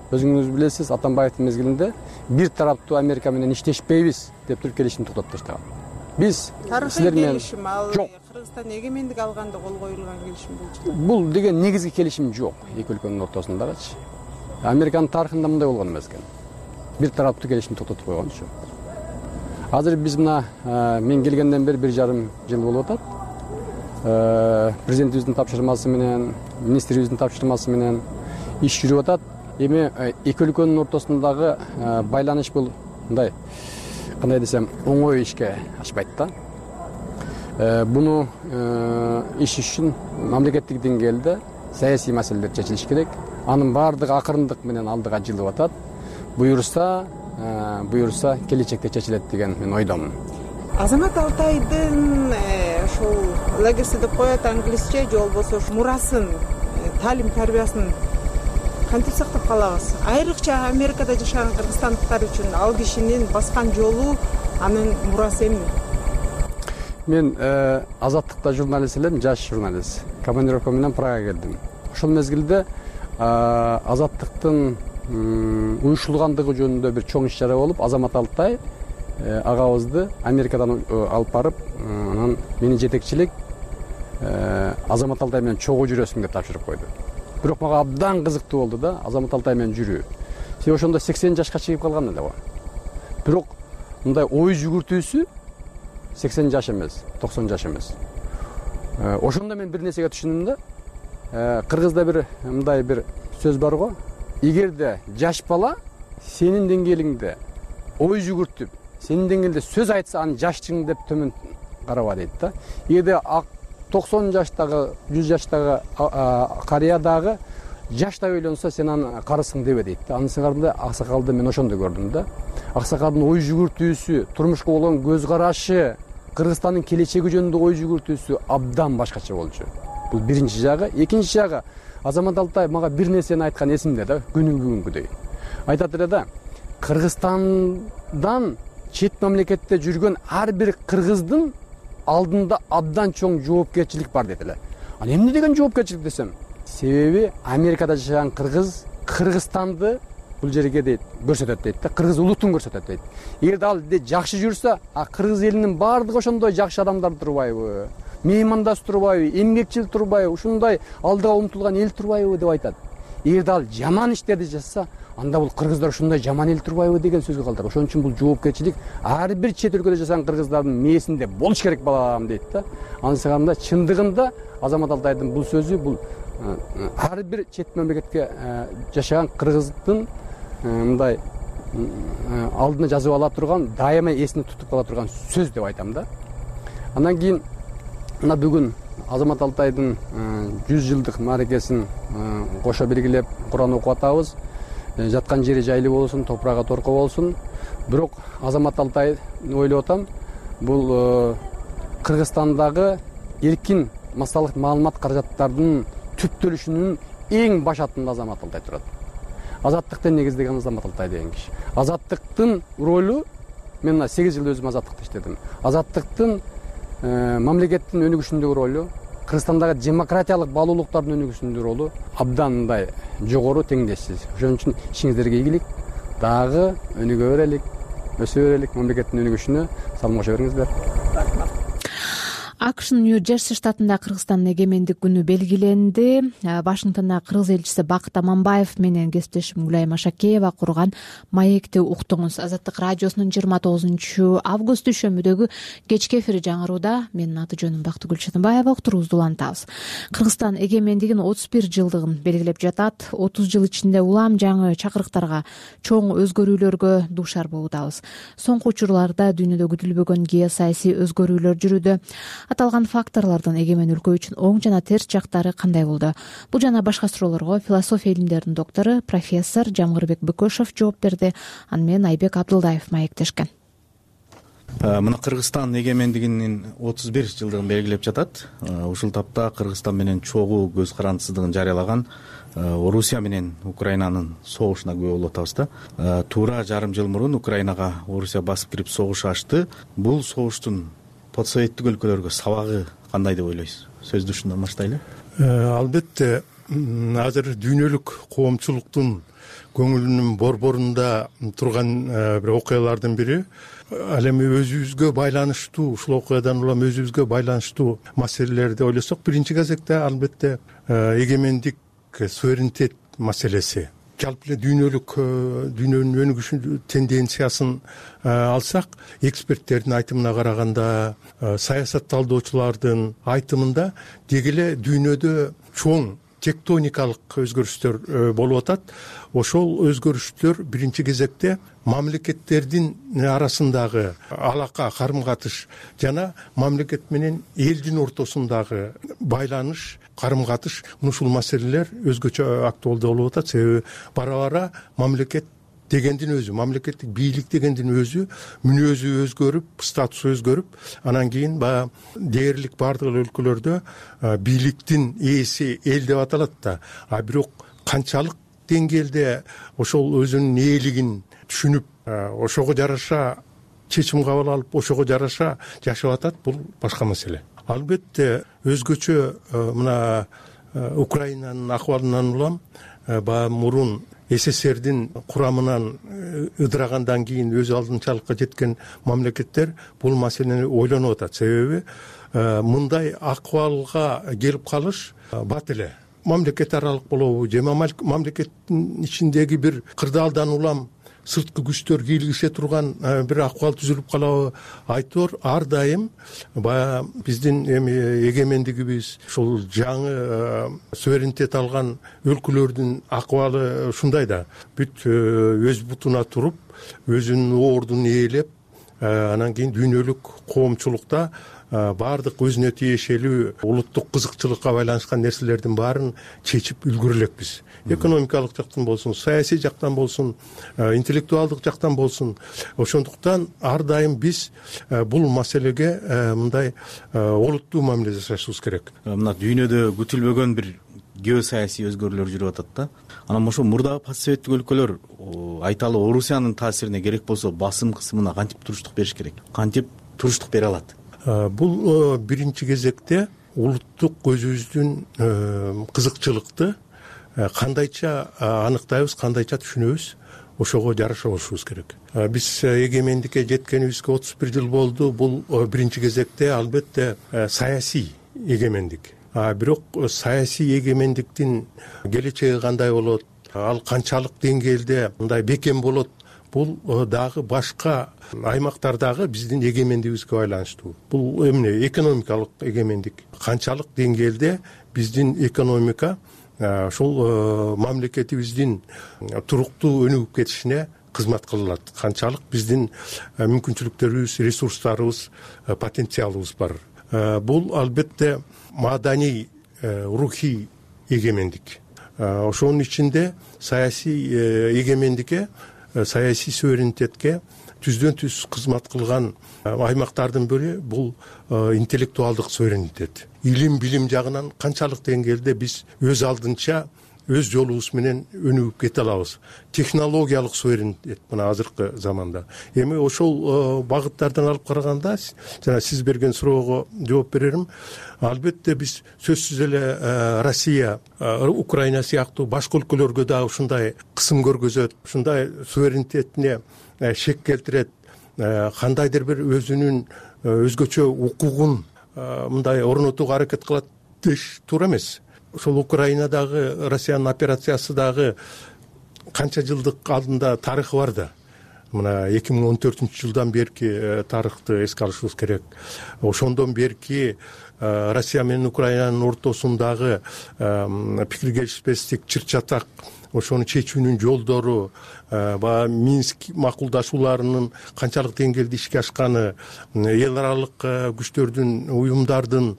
Өзүңүз билесиз, Атамбаевдин мезгилинде бир тараптуу Америка менен иштешпейбиз деп туруп келишимди токтотуп таштаган. Биз силер менен жок. Кыргызстан эгемендик алганда кол коюлган келишим болчу. Бул деген негизги келишим жок эки өлкөнүн ортосундагычы. Американын тарыхында мындай болгон эмес экен. Бир тараптуу келишимди токтотуп койгончу. Азыр биз мына мен келгенден бери 1,5 жыл болуп атат. Президентибиздин тапшырмасы менен, министрибиздин тапшырмасы менен иш жүрүп атат. Эми эки өлкөнүн ортосундагы байланыш бул мындай, кандай десем, оңой ишке ашпайт да. Буну иш үчүн мамлекеттик деңгээлде саясий маселелер чечилиш керек. Анын баардыгы акырындык менен алдыга жылып атат. Буюрса келечекте чечилет деген мен ойдомун. Азамат Алтайдын ошол легаси деп коет англисче, же болбосо мурасын, таалим тарбиясын кантип сактап калабыз? Айрыкча Америкада жашаган кыргызстандыктар үчүн ал кишинин баскан жолу, анын мурасы эмне? Мен Азаттыкта журналист элем, жаш журналист. Командировка менен Прага келдим. Ошол мезгилде Азаттыктын уюштурулгандыгы жөнүндө бир чоң иш чара болуп, Азамат Алтай агабызды Америкадан алып барып, анан мени жетекчилик Азамат Алтай менен чогуу жүрөсүң деп тапшырып койду. Бирок мага абдан кызыктуу болду да, Азамат Алтай менен жүрүү. Себеби ошондо 80 жашка чыгып калган эле го. Бирок мындай ой жүгүртүүсү 80 жаш эмес, 90 жаш эмес. Ошондо мен бир нерсеге түшүндүм да. Кыргызда бир мындай бир сөз бар го. Эгерде жаш бала сенин деңгээлиңде ой жүгүртүп, сенин деңгээлде сөз айтса, аны жашчың деп төмөн караба дейт да. Эгерде 90 жаштагы, 100 жаштагы карыядагы жашта ойлонсо, сен аны карысың дебе дейт да. Анын сыңарында аксакалды мен ошондо көрдүм да. аксакалдын ой жүгүртүүсү, турмушка болгон көз карашы, Кыргызстандын келечеги жөнүндө ой жүгүртүүсү абдан башкача болчу. Бул биринчи жагы. Экинчи жагы, Азамат Алтаев мага бир нерсени айткан эсимде да, бүгүнгүдөй. Айтат эле да, Кыргызстандан чет мамлекетте жүргөн ар бир кыргыздын алдында абдан чоң жоопкерчилик бар дейт эле. Ал эмне деген жоопкерчилик десем, себеби Америкада жашаган кыргыз Кыргызстанды бул жерге дейт көрсөтөт дейт да, кыргыз улутун көрсөтөт дейт. Эгерде ал жакшы жүрсө, кыргыз элинин баардыгы ошондой жакшы адамдар турбайбы, меймандаш турбайбы, эмгекчил турбайбы, ушундай алдыга умтулган эл турбайбы деп айтат. Эгерде ал жаман иштерди жасаса, анда бул кыргыздар ушундай жаман эл турбайбы деген сөзгө калдырат. Ошон үчүн бул жоопкерчилик ар бир чет өлкөдө жашаган кыргыздардын мээсинде болуш керек балам дейт да. Анысыганда чындыгында Азамат Алтаевдин бул сөзү бул ар бир чет мамлекетке жашаган кыргыздын мындай алдына жазып ала турган, дайыма эсине тутуп кала турган сөз деп айтам да. Андан кийин мына бүгүн Азамат Алтайдын 100 жылдык мааракесин кошо белгилеп Куран окуп атабыз. Жаткан жери жайлуу болсун, топурагы торко болсун. Бирок Азамат Алтай ойлоп атам, бул Кыргызстандагы эркин массалык маалымат каражаттарынын түптөлүшүнүн эң баш аттында Азамат Алтай турат. Азаттыкты негиздеген Азамат Алтай деген киши. Азаттыктын ролу, мен 8 жыл өзүм азаттыкта иштедим. Азаттыктын мамлекеттин өнүгүшүндөгү ролу, Кыргызстандагы демократиялык баалуулуктардын өнүгүшүндөгү ролу абдан мындай жогору, теңдешсиз. Ошон үчүн ишиңиздерге ийгилик, дагы өнүгө берелик, өсө берелик, мамлекеттин өнүгүшүнө салым кошо бериңиздер. АКШнын Нью-Джерси штатында Кыргызстандын эгемендик күнү белгиленди. Вашингтонда кыргыз элчиси Бакыт Аманбаев менен кесиптешим Гүлайым Ашакеева курган маекти уктуңуз. Азаттык радиосунун 29 август дүйшөмбүдөгү кечки эфири жаңырууда. Менин аты жөнүм Бактыгүл Чатымбаева. Уктуруубузду улантабыз. Кыргызстан эгемендигин 31 жылдыгын белгилеп жатат. 30 жыл ичинде улам жаңы чакырыктарга, чоң өзгөрүүлөргө дуушар болуудабыз. Соңку учурларда дүйнөдө күтүлбөгөн геосаясий өзгөрүүлөр жүрүүдө. Аталган факторлордун эгемен өлкө үчүн оң жана терс жактары кандай болду? Бул жана башка суроолорго философия илимдеринин доктору, профессор Жамгырбек Бөкөшов жооп берди. Аны менен Айбек Абдылдаев маектешкен. Мына Кыргызстан эгемендигинин 31 жылдыгын белгилеп жатат. Ушул тапта Кыргызстан менен чогуу көз карандысыздыгын жарыялаган Орусия менен Украинанын согушуна күбө болуп атабыз да. Туура жарым жыл мурун Украинага Орусия басып кирип согуш ачты. Бул согуштун постсоветтик өлкөлөргө сабагы кандай деп ойлойсуз? Сөздү ушундан баштайлы. Албетте, азыр дүйнөлүк коомчулуктун көңүлүнүн борборунда турган бир окуялардын бири, ал эми өзүбүзгө байланыштуу, ушул окуядан улам өзүбүзгө байланыштуу маселелерди ойлосок, биринчи кезекте албетте эгемендик, суверенитет маселеси. Жалпы эле дүйнөнүн өнүгүшү тенденциясын алсак, эксперттердин айтымына караганда, саясат талдоочулардын айтымында деги эле дүйнөдө чоң тектоникалык өзгөрүштөр болуп атат. Ошол өзгөрүштөр биринчи кезекте мамлекеттердин арасындагы алака, карым-катыш жана мамлекет менен элдин ортосундагы байланыш, карым-катыш, ушул маселелер өзгөчө актуалдуу болуп атат. Себеби бара-бара мамлекет дегендин өзү, мамлекеттик бийлик дегендин өзү мүнөзү өзгөрүп, статусу өзгөрүп, анан кийин баягы дээрлик бардык өлкөлөрдө бийликтин ээси эл деп аталат да. А бирок канчалык деңгээлде ошол өзүнүн ээлигин түшүнүп, ошого жараша чечим кабыл алып, ошого жараша жашап атат, бул башка маселе. Албетте өзгөчө мына Украинанын акыбалынан улам баягы мурун СССРдин курамынан ыдырагандан кийин өз алдынчалыкка жеткен мамлекеттер бул маселени ойлонуп атат. Себеби мындай акыбалга келип калыш бат эле. Мамлекет аралык болобу же мамлекеттин ичиндеги бир кырдаалдан улам сырткы күчтөр кийлигише турган бир акыбал түзүлүп калабы? Айтор ар дайым баягы биздин эми эгемендигибиз, ушул жаңы суверенитет алган өлкөлөрдүн акыбалы ушундай да. Бүт өз бутуна туруп, өзүнүн ордун ээлеп, анан кийин дүйнөлүк коомчулукта баардык өзүнө тиешелүү улуттук кызыкчылыкка байланышкан нерселердин баарын чечип үлгүрө элекпиз. Экономикалык жактан болсун, саясий жактан болсун, интеллектуалдык жактан болсун. Ошондуктан ар дайым биз бул маселеге мындай олуттуу мамиле жасашыбыз керек. Мына дүйнөдө күтүлбөгөн бир геосаясий өзгөрүүлөр жүрүп атат да. Анан ошо мурдагы постсоветтик өлкөлөр айталы Орусиянын таасирине керек болсо басым кысымына кантип туруштук бериш керек? Кантип туруштук бере алат? Бул биринчи кезекте улуттук өзүбүздүн кызыкчылыкты кандайча аныктайбыз, кандайча түшүнөбүз, ошого жараша болушубуз керек. Биз эгемендикке жеткенибизге 31 жыл болду. Бул биринчи кезекте албетте саясий эгемендик. Бирок саясий эгемендиктин келечеги кандай болот, ал канчалык деңгээлде мындай бекем болот, бул дагы башка аймактардагы биздин эгемендигибизге байланыштуу. Бул эмне? Экономикалык эгемендик. Канчалык деңгээлде биздин экономика ушул мамлекетибиздин туруктуу өнүгүп кетишине кызмат кылат, канчалык биздин мүмкүнчүлүктөрүбүз, ресурстарыбыз, потенциалыбыз бар. Бул албетте маданий, рухий эгемендик. Ошонун ичинде саясий эгемендикке, саясий суверенитетке түздөн түз кызмат кылган аймактардын бири бул интеллектуалдык суверенитет. Илим билим жагынан канчалык деңгээлде биз өз алдынча өз жолубуз менен өнүгүп кете алабыз. Технологиялык суверенитет мына азыркы заманда. Эми ошол багыттардан алып караганда, жана сиз берген суроого жооп берерим. Албетте биз сөзсүз эле Россия, Украина сыяктуу башка өлкөлөргө да ушундай кысым көргөзөт, ушундай суверенитетине шек келтирет, кандайдыр бир өзүнүн өзгөчө укугун мындай орнотууга аракет кылат деш туура эмес. Ошол Украинадагы Россиянын операциясы дагы канча жылдык алдында тарыхы бар да. Мына 2014-жылдан берки тарыхты эске алышыбыз керек. Ошондон берки Россия менен Украинанын ортосундагы пикир келишпестик, чыр-чатак, ошону чечүүнүн жолдору, баягы Минск макулдашууларынын канчалык деңгээлде ишке ашканы, эл аралык күчтөрдүн, уюмдардын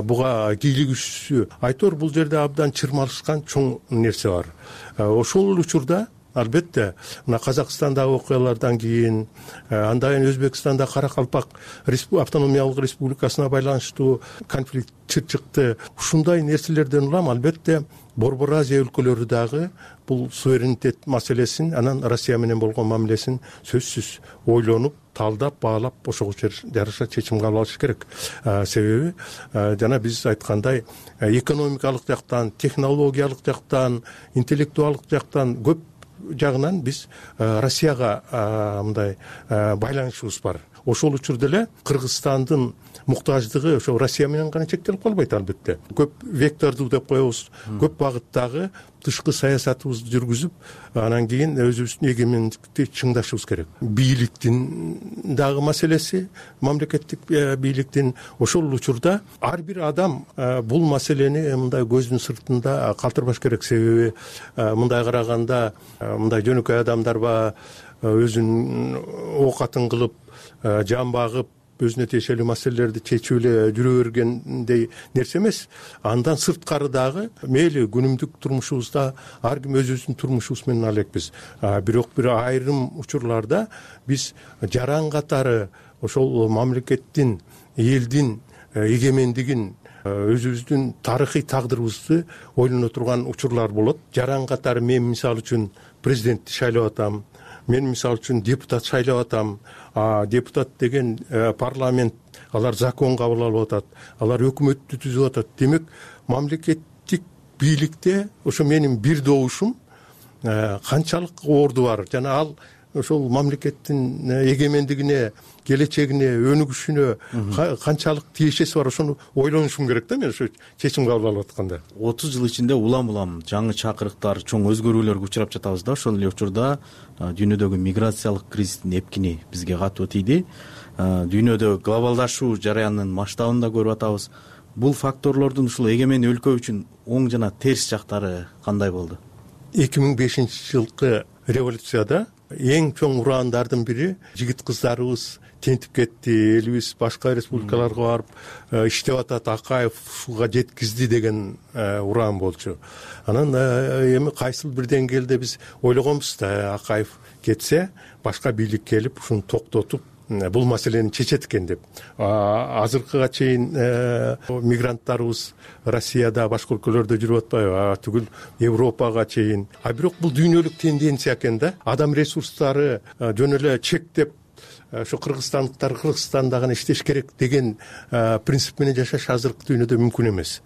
буга кийлигишүүсү, айтор бул жерде абдан чырмалышкан чоң нерсе бар. Ошол учурда албетте мына Казакстандагы окуялардан кийин, андан кийин Өзбекстанда Каракалпак автономиялык республикасына байланыштуу конфликт чыкты. Ушундай нерселерден улам албетте Борбор Азия өлкөлөрү дагы бул суверенитет маселесин, анан Россия менен болгон мамилесин сөзсүз ойлонуп, талдап, баалап, ошого жараша чечим кабыл алыш керек. Себеби жана биз айткандай экономикалык жактан, технологиялык жактан, интеллектуалдык жактан көп жагынан биз Россияга мындай байланышыбыз бар. Ошол учурда эле Кыргызстандын муктаждыгы ошо Россия менен гана чектелип калбайт албетте. Көп вектордуу деп коебуз, көп багыттагы тышкы саясатыбызды жүргүзүп, анан кийин өзүбүздүн эгемендикти чыңдашыбыз керек. Бийликтин дагы маселеси, мамлекеттик бийликтин ошол учурда ар бир адам бул маселени мындай көздүн сыртында калтырбаш керек. Себеби мындай караганда мындай жөнөкөй адамдар өзүнүн оокатын кылып, жан багып, өзүнө тиешелүү маселелерди чечип эле жүрө бергендей нерсе эмес. Андан сырткары дагы мейли күнүмдүк турмушубузда ар ким өзүбүздүн турмушубуз менен ала элекпиз. Бирок бир айрым учурларда биз жаран катары ошол мамлекеттин, элдин эгемендигин, өзүбүздүн тарыхый тагдырыбызды ойлоно турган учурлар болот. Жаран катары мен мисалы үчүн президентти шайлап атам, мен мисалы үчүн депутат шайлап атам. Депутат деген парламент, алар закон кабыл алып атат, алар өкмөттү түзүп атат. Демек, мамлекеттик бийликте ошо менин бир добушум канчалык орду бар, жана ал ошол мамлекеттин эгемендигине, келечегине, өнүгүшүнө канчалык тиешеси бар, ошону ойлонушум керек да мен ошо чечим кабыл алып атканда. 30 жыл ичинде улам жаңы чакырыктар, чоң өзгөрүүлөргө учурап жатабыз да. Ошол эле учурда дүйнөдөгү миграциялык кризистин эпкини бизге катуу тийди. Дүйнөдө глобалдашуу жараянынын масштабын да көрүп атабыз. Бул факторлордун ушул эгемен өлкө үчүн оң жана терс жактары кандай болду? 2005-жылкы революцияда эң чоң урандардын бири жигит кыздарыбыз тентип кетти, элибиз башка республикаларга барып иштеп атат, Акаев ушуга жеткизди деген уран болчу. Анан эми кайсыл бир деңгээлде биз ойлогонбуз да, Акаев кетсе башка бийлик келип ушуну токтотуп бул маселени чечет экен деп. Азыркыга чейин мигранттарыбыз Россияда, башка өлкөлөрдө жүрүп атпайбы, түгүл Европага чейин. Бирок бул дүйнөлүк тенденция экен да. Адам ресурстары жөн эле чектеп ошо кыргызстандыктар Кыргызстанда гана иштеш керек деген принцип менен жашаш азыркы дүйнөдө мүмкүн эмес.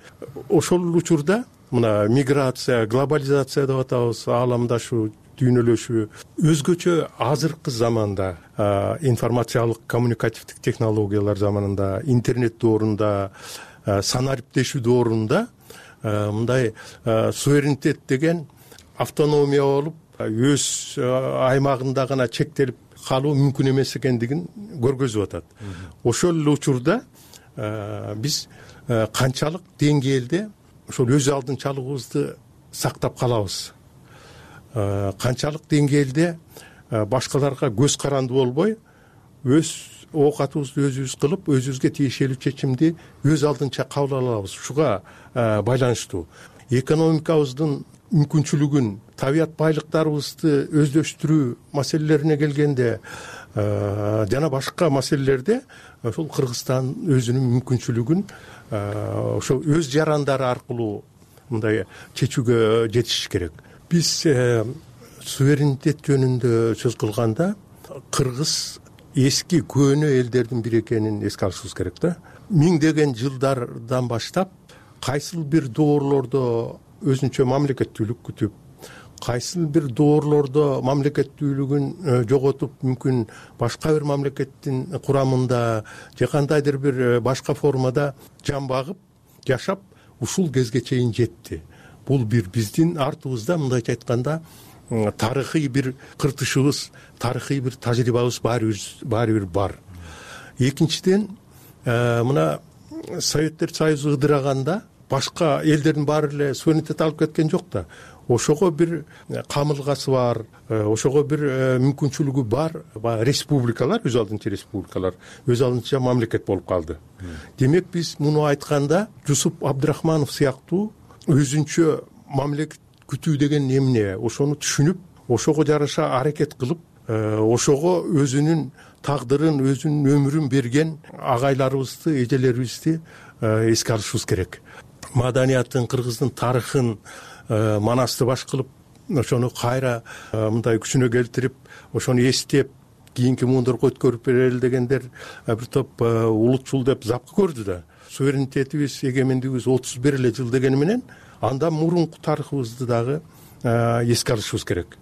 Ошол учурда мына миграция, глобализация деп атабыз, ааламдашуу, дүйнөлөшүү өзгөчө азыркы заманда, информациялык коммуникативдик технологиялар заманында, интернет доорунда, санариптешүү доорунда мындай суверенитет деген автономия болуп, өз аймагында гана чектелип калуу мүмкүн эмес экендигин көргөзүп атат. Ошол эле учурда биз канчалык деңгээлде ошол өз алдынчалыгыбызды сактап калабыз, канчалык деңгээлде башкаларга көз карандуу болбой, өз оокатыбызды өзүбүз кылып, өзүбүзгө тиешелүү чечимди өз алдынча кабыл ала алабыз. Ушуга байланыштуу. Экономикабыздын мүмкүнчүлүгүн, табият байлыктарыбызды өздөштүрүү маселелерине келгенде жана башка маселелерде ошол Кыргызстан өзүнүн мүмкүнчүлүгүн ошо өз жарандары аркылуу мындай чечүүгө жетиш керек. Биз суверенитет жөнүндө сөз кылганда кыргыз эски көөнө элдердин бири экенин эске алышыбыз керек да. Миңдеген жылдардан баштап кайсыл бир доорлордо өзүнчө мамлекеттүүлүк күтүп, кайсыл бир доорлордо мамлекеттүүлүгүн жоготуп, мүмкүн башка бир мамлекеттин курамында же кандайдыр бир башка формада жан багып, жашап, ушул кезге чейин жетти. Бул бир биздин артыбызда мындайча айтканда тарыхый бир кыртышыбыз, тарыхый бир тажрыйбабыз баары бир бар. Экинчиден, мына Советтер Союзу ыдыраганда башка элдердин баары эле суверенитет алып кеткен жок да. Ошого бир камылгасы бар, ошого бир мүмкүнчүлүгү бар республикалар, өз алдынча республикалар, өз алдынча мамлекет болуп калды. Демек биз муну айтканда Жусуп Абдрахманов сыяктуу өзүнчө мамлекет күтүү деген эмне, ошону түшүнүп, ошого жараша аракет кылып, ошого өзүнүн тагдырын, өзүнүн өмүрүн берген агайларыбызды, эжелерибизди эске алышыбыз керек. Маданиятын, кыргыздын тарыхын манасты баш кылып, ошону кайра мындай күчүнө келтирип, ошону эстеп, кийинки муундурга өткөрүп берели дегендер бир топ улутчул деп запкы көрдү да. Суверенитетибиз, эгемендигибиз 31 эле жыл дегени менен анда мурунку тарыхыбызды дагы эске алышыбыз керек.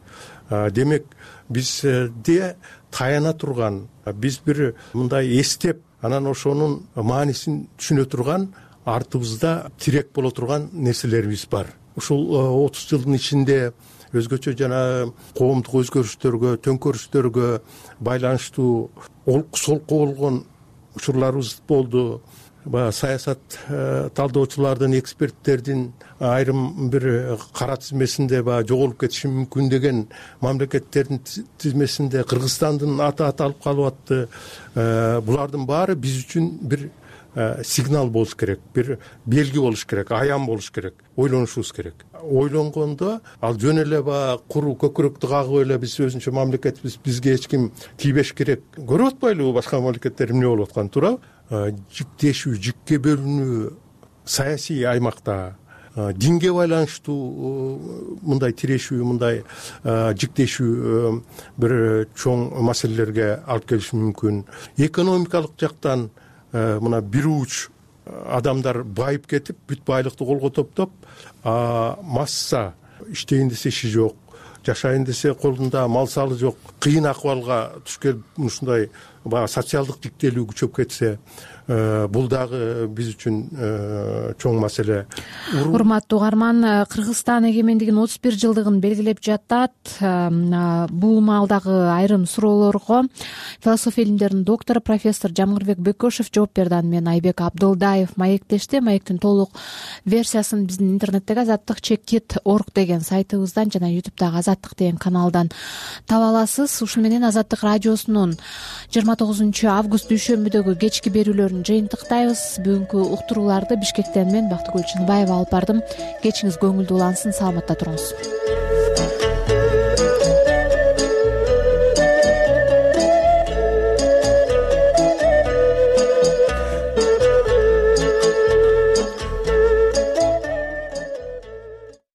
Демек бизде таяна турган, биз бир мындай эстеп, анан ошонун маанисин түшүнө турган, артыбызда тирек боло турган нерселерибиз бар. Ушул 30 жылдын ичинде өзгөчө жана коомдук өзгөрүштөргө, төңкөрүштөргө байланыштуу олку солку болгон учурларыбыз болду. Саясат талдоочулардын, эксперттердин айрым бир кара тизмесинде жоголуп кетиши мүмкүн деген мамлекеттердин тизмесинде Кыргызстандын аты аталып калып атты. Булардын баары биз үчүн бир сигнал болуш керек, бир белги болуш керек, аян болуш керек, ойлонушубуз керек. Ойлонгондо ал жөн эле куру көкүрөктү кагып эле биз өзүнчө мамлекетбиз, бизге эч ким тийбеш керек. Көрүп атпайлыбы башка мамлекеттер эмне болуп атканын, туурабы? Жиктешүү, жикке бөлүнүү саясий аймакта, динге байланыштуу мындай тирешүү, мындай жиктешүү бир чоң маселелерге алып келиши мүмкүн. Экономикалык жактан мына бир уч адамдар байып кетип, бүт байлыкты колго топтоп, масса иштейин десе иши жок, жашайын десе колунда мал салы жок, кыйын акыбалга түшкөн ушундай баягы социалдык тиктелүү күчөп кетсе, бул дагы биз үчүн чоң маселе. Урматтуу угарман, Кыргызстан эгемендигинин 31 жылдыгын белгилеп жатат. Бул маалдагы айрым суроолорго философия илимдеринин доктору профессор Жамгырбек Бекошев жооп берди. Мен Айбек Абдылдаев маектешти. Маектин толук версиясын биздин интернеттеги azattik.org деген сайтыбыздан жана YouTube'дагы Азаттык деген каналдан таба аласыз. Ушун менен Азаттык радиосунун 29 август дүйшөмбүдөгү кечки берүүлөрүн жыйынтыктайбыз. Бүгүнкү уктурууларды Бишкектен мен Бактыгүл Чыныбаева алып бардым. Кечиңиз көңүлдүү улансын, саламатта туруңуз.